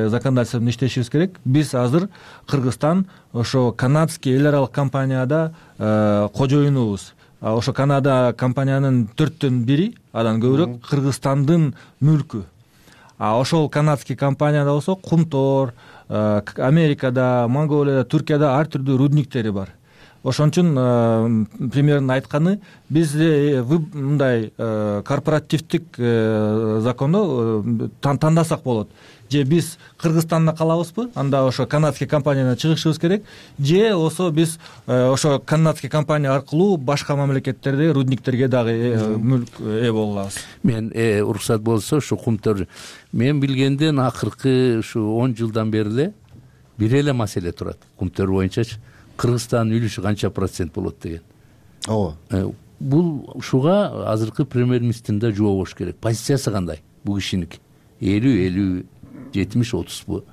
законодательствону иштешибиз керек. Биз азыр Кыргызстан ошо канадский эл аралык компанияда кожоюнубуз. Ошо Канада компаниянын 4төн 1 адан көбүрөөк Кыргызстандын мүлкү. Ошол канадский компанияда болсо кумтор, Америкада, Монголияда, Түркияда ар түрдүү рудниктери бар. Ошон үчүн примерно айтканы, бизде мындай корпоративдик законду тандасак болот. Же биз Кыргызстанда калабызбы, анда ошо канадский компаниядан чыгышыбыз керек, же болсо биз ошо канадский компания аркылуу башка мамлекеттерде рудниктерге дагы мүлк болобуз.
Мен уруксат болсо ушу кумтор, мен билгенден акыркы ушу 10 жылдан бери эле бир эле маселе турат. Кумтор боюнчачы Кыргызстандын үлүшү канча процент болот деген.
Ооба.
Бул ушуга азыркы премьер-министрдин да жооп болуш керек. Позициясы кандай? Бул кишиники 50, 70-30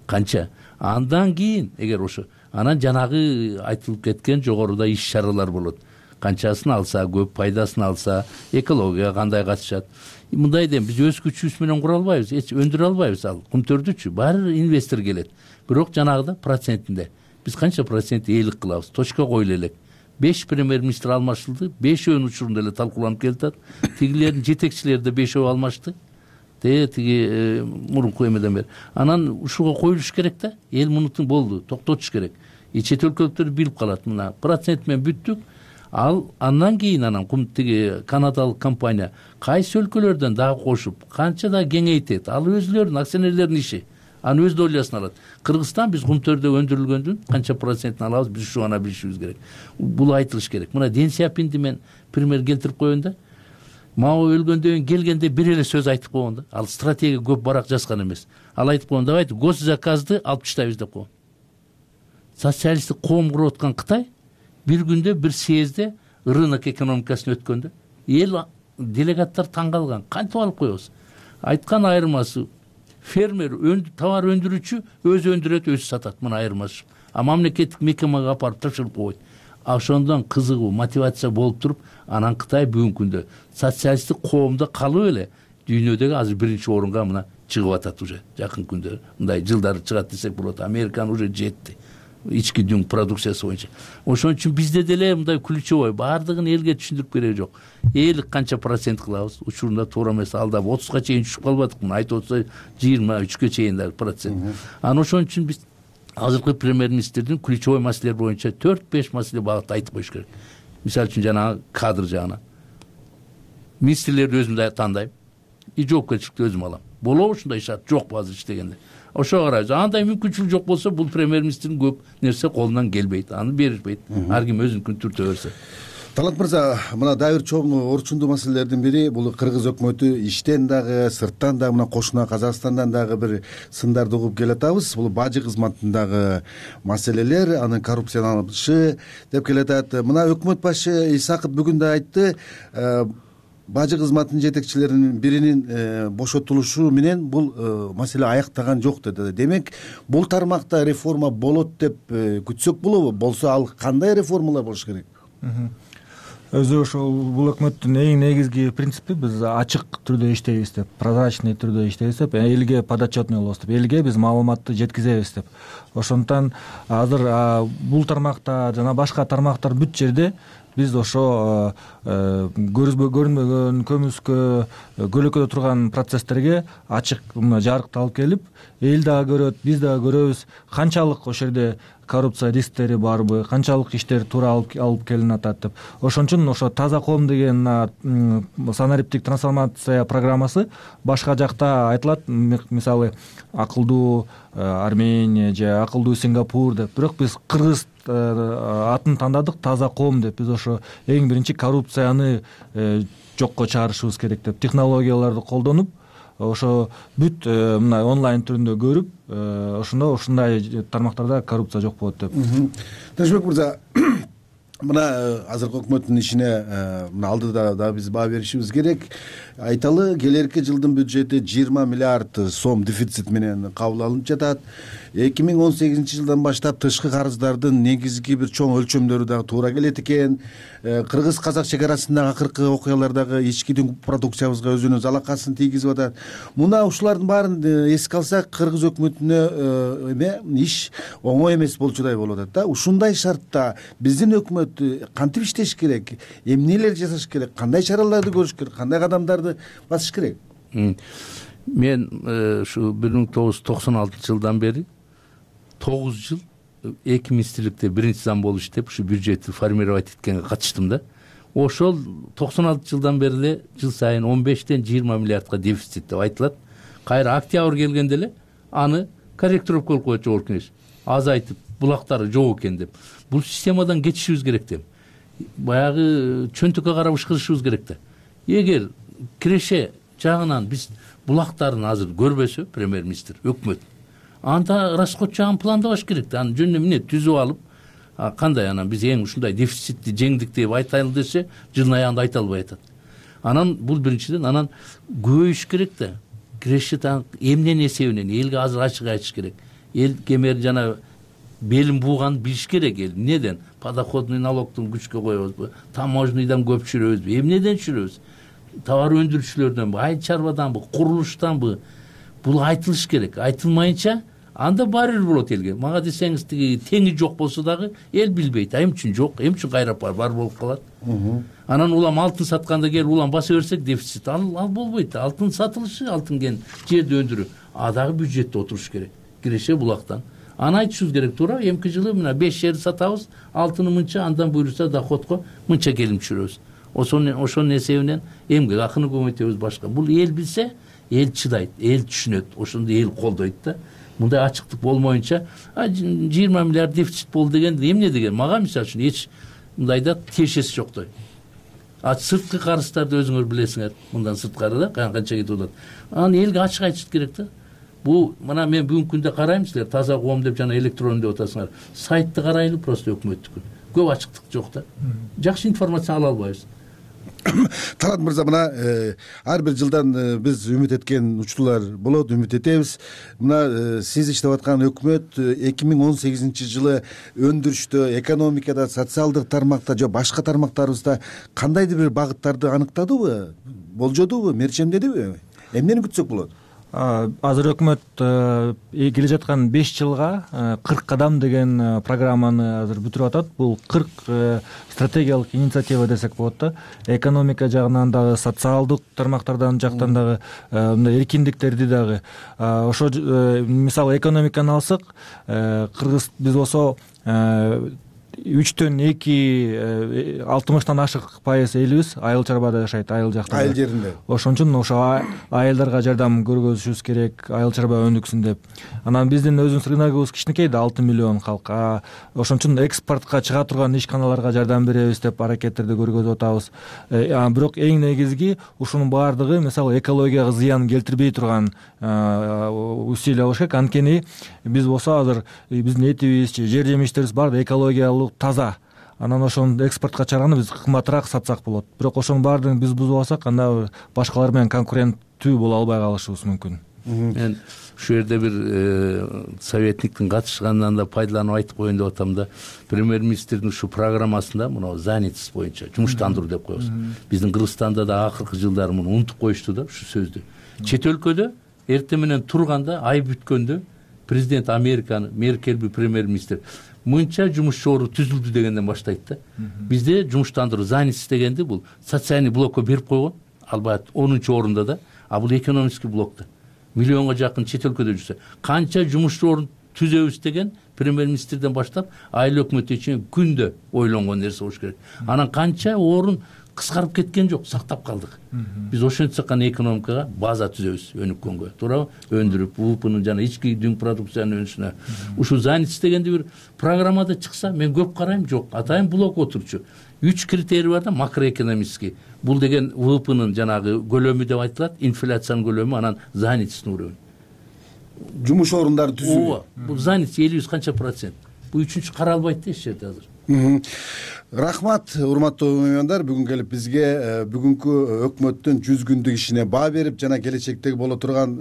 канча? Андан кийин эгер ошо анан жанагы айтылып кеткен жогоруда иш чаралар болот. Канчасын алса, көп пайдасын алса, экологияга кандай катышат? Мындай дейм, биз өз күчүбүз менен кура албайбыз, эч өндүрө албайбыз. Ал кумтөрдүчү баары инвестор келет. Бирок жанагыда процентинде биз канча процент ээлик кылабыз? Точка коюла элек. 5 премьер-министр алмашылды, 5-өн учурунда эле талкууланып келатат. Тигилердин жетекчилери да 5 алмашты. Тиги мурунку эмеден бери. Анан ушуга коюлуш керек да. Эл мунутун болду, токтотуш керек. Чет өлкөлүктөр билип калат, мына процент менен бүттүк. Ал андан кийин анан тиги канадалык компания кайсы өлкөлөрдөн дагы кошуп, канча да кеңейтет. Ал өзүлөрүнүн акционерлердин иши. Аны өз долясын алат. Кыргызстан биз кумтөрдө өндүрүлгөндүн канча процентин алабыз, биз ушу гана билишибиз керек. Бул айтылыш керек. Мына Ден Сяопинди мен пример келтирип коеюн да. Мао өлгөндөн кийин келгенде бир эле сөз айтып койгон да. Ал стратегия көп барак жазган эмес. Ал айтып койгон, давайте госзаказды алып таштайбыз деп койгон. Социалисттик коом куруп аткан Кытай бир күндө бир съездде рынок экономикасын өткөндө эл делегаттар таң калган. Кантип алып коебуз? Айткан айырмасы фермер, товар өндүрүүчү өзү өндүрөт, өзү сатат. Мына айырмасы. Мамлекеттик мекемеге апарып тапшырып койот. Ошондон кызыгуу, мотивация болуп туруп, анан Кытай бүгүнкү күндө социалисттик коомдо калып эле дүйнөдөгү азыр биринчи орунга мына чыгып атат уже. Жакын күндө мындай жылдары чыгат десек болот. Американ уже жетти. Ички дүң продукциясы боюнча. Ошон үчүн бизде деле мындай ключевой баардыгын элге түшүндүрүп кереги жок. Элик канча процент кылабыз? Учурунда туура эмес, алдап 30га чейин түшүп калбадыкпы? Айтып отсо 23ке чейин дагы процент. Анан ошон үчүн биз азыркы премьер-министрдин ключевой маселелер боюнча 4-5 маселе багытта айтып коюш керек. Мисалы үчүн жанагы кадр жагына. Министрлерди өзүм да тандайм. Жоопкерчиликти өзүм алам. Болобу ушундай шарт? Жокпу азыр иштегенде? Ошо карайбыз. Андай мүмкүнчүлүк жок болсо, бул премьер-министрдин көп нерсе колунан келбейт. Аны беришпейт. Ар ким өзүнүкүн түртө берсе.
Талант мырза, мына дагы бир чоң орчундуу маселелердин бири бул кыргыз өкмөтү иштен дагы, сырттан дагы, мына кошуна Казакстандан дагы бир сындарды угуп келатабыз. Бул бажы кызматындагы маселелер, анын коррупцияланышы деп келатат. Мына өкмөт башы Исаков бүгүн да айтты, бажы кызматынын жетекчилеринин биринин бошотулушу менен бул маселе аяктаган жок деди. Демек бул тармакта реформа болот деп күтсөк болобу? Болсо ал кандай реформалар болуш керек?
Өзү ошол бул өкмөттүн эң негизги принципи биз ачык түрдө иштейбиз деп, прозрачный түрдө иштейбиз деп, элге подотчетный болобуз деп, элге биз маалыматты жеткизебиз деп. Ошондуктан азыр бул тармакта жана башка тармактар бүт жерде биз ошо көрүнбөгөн көмүскө көлөкөдө турган процесстерге ачык жарыкты алып келип, эл дагы көрөт, биз дагы көрөбүз канчалык ошол жерде коррупция рисктери барбы, канчалык иштер туура алып келинип атат деп. Ошон үчүн ошо таза коом деген санариптик трансформация программасы башка жакта айтылат, мисалы акылдуу Армения же акылдуу Сингапур деп. Бирок биз кыргыз атын тандадык, таза коом деп. Биз ошо эң биринчи коррупцияны жокко чыгарышыбыз керек деп, технологияларды колдонуп, ошо бүт мына онлайн түрүндө көрүп, ошондо ушундай тармактарда коррупция жок болот деп.
Тынычбек мырза, мына азыркы өкмөттүн ишине мына алдыда да биз баа беришибиз керек. Айталы, келерки жылдын бюджети 20 миллиард сом дефицит менен кабыл алынып жатат. 2018-жылдан баштап тышкы карыздардын негизги бир чоң өлчөмдөрү дагы туура келет экен. Кыргыз-казак чек арасындагы акыркы окуялардагы ички продукциябызга өзүнүн залакасын тийгизип атат. Мына ушулардын баарын эске алсак, кыргыз өкмөтүнө иш оңой эмес болчудай болуп атат да. Ушундай шартта биздин өкмөт кантип иштеш керек? Эмнелер жасаш керек? Кандай чараларды көрүш керек? Кандай кадамдарды басыш керек?
Мен ушу 1996-жылдан бери 9 жыл эки министрликте биринчи зам болуп иштеп, ушу бюджетти формировать эткенге катыштым да. Ошол 96-жылдан бери эле жыл сайын 15-тен 20 миллиардга дефицит деп айтылат. Кайра октябрь келгенде эле аны корректировка кылып коет жогорку кеңеш. Азайтып, булактары жок экен деп. Бул системадан кетишибиз керек деп. Баягы чөнтөккө карап ышкырышыбыз керек да. Эгер киреше жагынан биз булактарын азыр көрбөсө, премьер-министр, өкмөт, анда расход жагын пландабаш керек да. Аны жөнүнө эмне түзүп алып, кандай анан биз эң ушундай дефицитти жеңдик деп айтайлы десе, жылдын аягында айта албай атат. Анан бул биринчиден, анан көбөйүш керек да. Киреше эмненин эсебинен элге азыр ачык айтыш керек. Эл кемер жана белин бууганды билиш керек эл. Эмнеден? Подоходный налогтун күчкө коебузбу? Таможнядан көп түшүрөбүзбү? Эмнеден түшүрөбүз? Товар өндүрүүчүлөрдөнбү, айыл чарбаданбы, курулуштанбы? Бул айтылыш керек. Айтылмайынча анда баары бир болот элге. Мага десеңиз тиги теңи жок болсо дагы эл билбейт. Эмне үчүн жок, эмне үчүн кайрап бар болуп калат. Анан улам алтын сатканда келип улам баса берсек дефицит ал болбойт. Алтын сатылышы, алтын кен жерде өндүрүү. Дагы бюджетте отуруш керек. Киреше булактан. Аны айтышыбыз керек, туура. Эмки жылы мына 5 жерди сатабыз, алтыны мынча, андан буйруса доходко мынча келим түшүрөбүз. Ошонун эсебинен эмгек акыны көбөйтөбүз башка. Бул эл билсе, эл чыдайт, эл түшүнөт, ошондо эл колдойт да. Мындай ачыктык болмоюнча 20 миллиард дефицит болду деген эмне деген? Мага мисалы үчүн эч мындайда тиешеси жоктой. Сырткы карыздарды өзүңөр билесиңер, мындан сырткары да канча кетип атат. Аны элге ачык айтыш керек да. Бул мына мен бүгүнкү күндө карайм, силер таза коом деп жана электрон деп атасыңар. Сайтты карайлы, просто өкмөттүкү. Көп ачыктык жок да. Жакшы информация ала албайбыз.
Талант мырза, мына ар бир жылдан биз үмүт эткен учурлар болот, үмүт этебиз. Мына сиз иштеп аткан өкмөт 2018-жылы өндүрүштө, экономикада, социалдык тармакта же башка тармактарыбызда кандайдыр бир багыттарды аныктадыбы, болжодубу, мерчемдедиби? Эмнени күтсөк болот?
Азыр өкмөт келе жаткан 5 жылга 40 кадам деген программаны азыр бүтүрүп атат. Бул 40 стратегиялык инициатива десек болот да. Экономика жагынан дагы, социалдык тармактардан жактан дагы, мындай эркиндиктерди дагы. Ошо мисалы экономиканы алсак, кыргыз биз болсо 3-төн 2 60-тан ашык пайыз элибиз айыл чарбада жашайт, айыл жакта.
Айыл жеринде.
Ошон үчүн ошо айылдарга жардам көргөзүшүбүз керек, айыл чарба өндүксүн деп. Анан биздин өзүбүз рыногубуз кичинекей да, 6 миллион калк. Ошон үчүн экспортко чыга турган ишканаларга жардам беребиз деп аракеттерди көргөзүп атабыз. Бирок эң негизги ушунун баардыгы мисалы экологияга зыян келтирбей турган усилия болуш керек. Анткени биз болсо азыр биздин этибиз, жер жемиштерибиз баары экологиялык таза. анан ошону экспортко чыгарганда биз кымбатыраак сатсак болот. Бирок ошонун баардыгын биз бузуп алсак, анда башкалар менен конкуренттүү боло албай калышыбыз мүмкүн.
Мен ушул жерде бир советниктин катышканынан да пайдаланып айтып коеюн деп атам да. Премьер-министрдин ушул программасында мына занятость боюнча жумуштандыруу деп коебуз. Биздин Кыргызстанда да акыркы жылдары муну унутуп коюшту да ушул сөздү. Чет өлкөдө эртең менен турганда, ай бүткөндө президент Американы, Меркелби премьер-министр мынча жумуш ору түзүлдү дегенден баштайт да. Бизде жумуштандыруу занятость дегенди бул социальный блокко берип койгон, албат 10-орунда да, а бул экономический блокто. Миллионго жакын чет өлкөдө жүрсө, канча жумуш орун түзөбүз деген премьер-министрден баштап айыл өкмөтү үчүн күндө ойлонгон нерсе болуш керек. Анан канча орун кыскарып кеткен жок, сактап калдык. Биз ошентсек гана экономикага база түзөбүз өнүккөнгө, туурабы? Өндүрүп, УПнын жана ички дүң продукциянын өнүшүнө. Ушул занятость дегенди бир программада чыкса, мен көп карайм, жок, атайын блок отурчу. 3 критерий бар да, макроэкономический. Бул деген ВВПнын жанагы көлөмү деп айтылат, инфляциянын көлөмү, анан занятостьтун көлөмү.
Жумуш орундары түзүү.
Ооба, бул занятость 50 канча процент. Бул үчүнчү каралбайт да эч жерде азыр.
Рахмат, урматтуу меймандар, бүгүн келип бизге бүгүнкү өкмөттүн 100 күндүк ишине баа берип жана келечектеги боло турган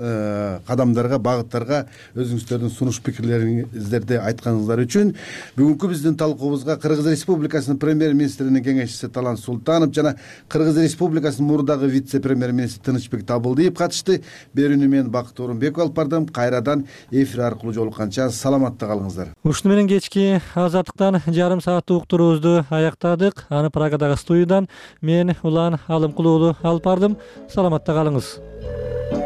кадамдарга, багыттарга өзүңүздөрдүн сунуш пикирлериңиздерди айтканыңыздар үчүн бүгүнкү биздин талкуубузга Кыргыз Республикасынын премьер-министринин кеңешчиси Талант Султанов жана Кыргыз Республикасынын мурдагы вице-премьер-министри Тынычбек Табылдиев катышты. Берүүнү мен Бакыт Орунбеков алып бардым. Кайрадан эфир аркылуу жолукканча саламатта калыңыздар.
Ушуну менен кечки азаттыктан жарым сааттык уктуруубузду аяктадык. Аны Прагадагы студиядан мен Улан Алымкулуулу алып бардым. Саламатта калыңыз.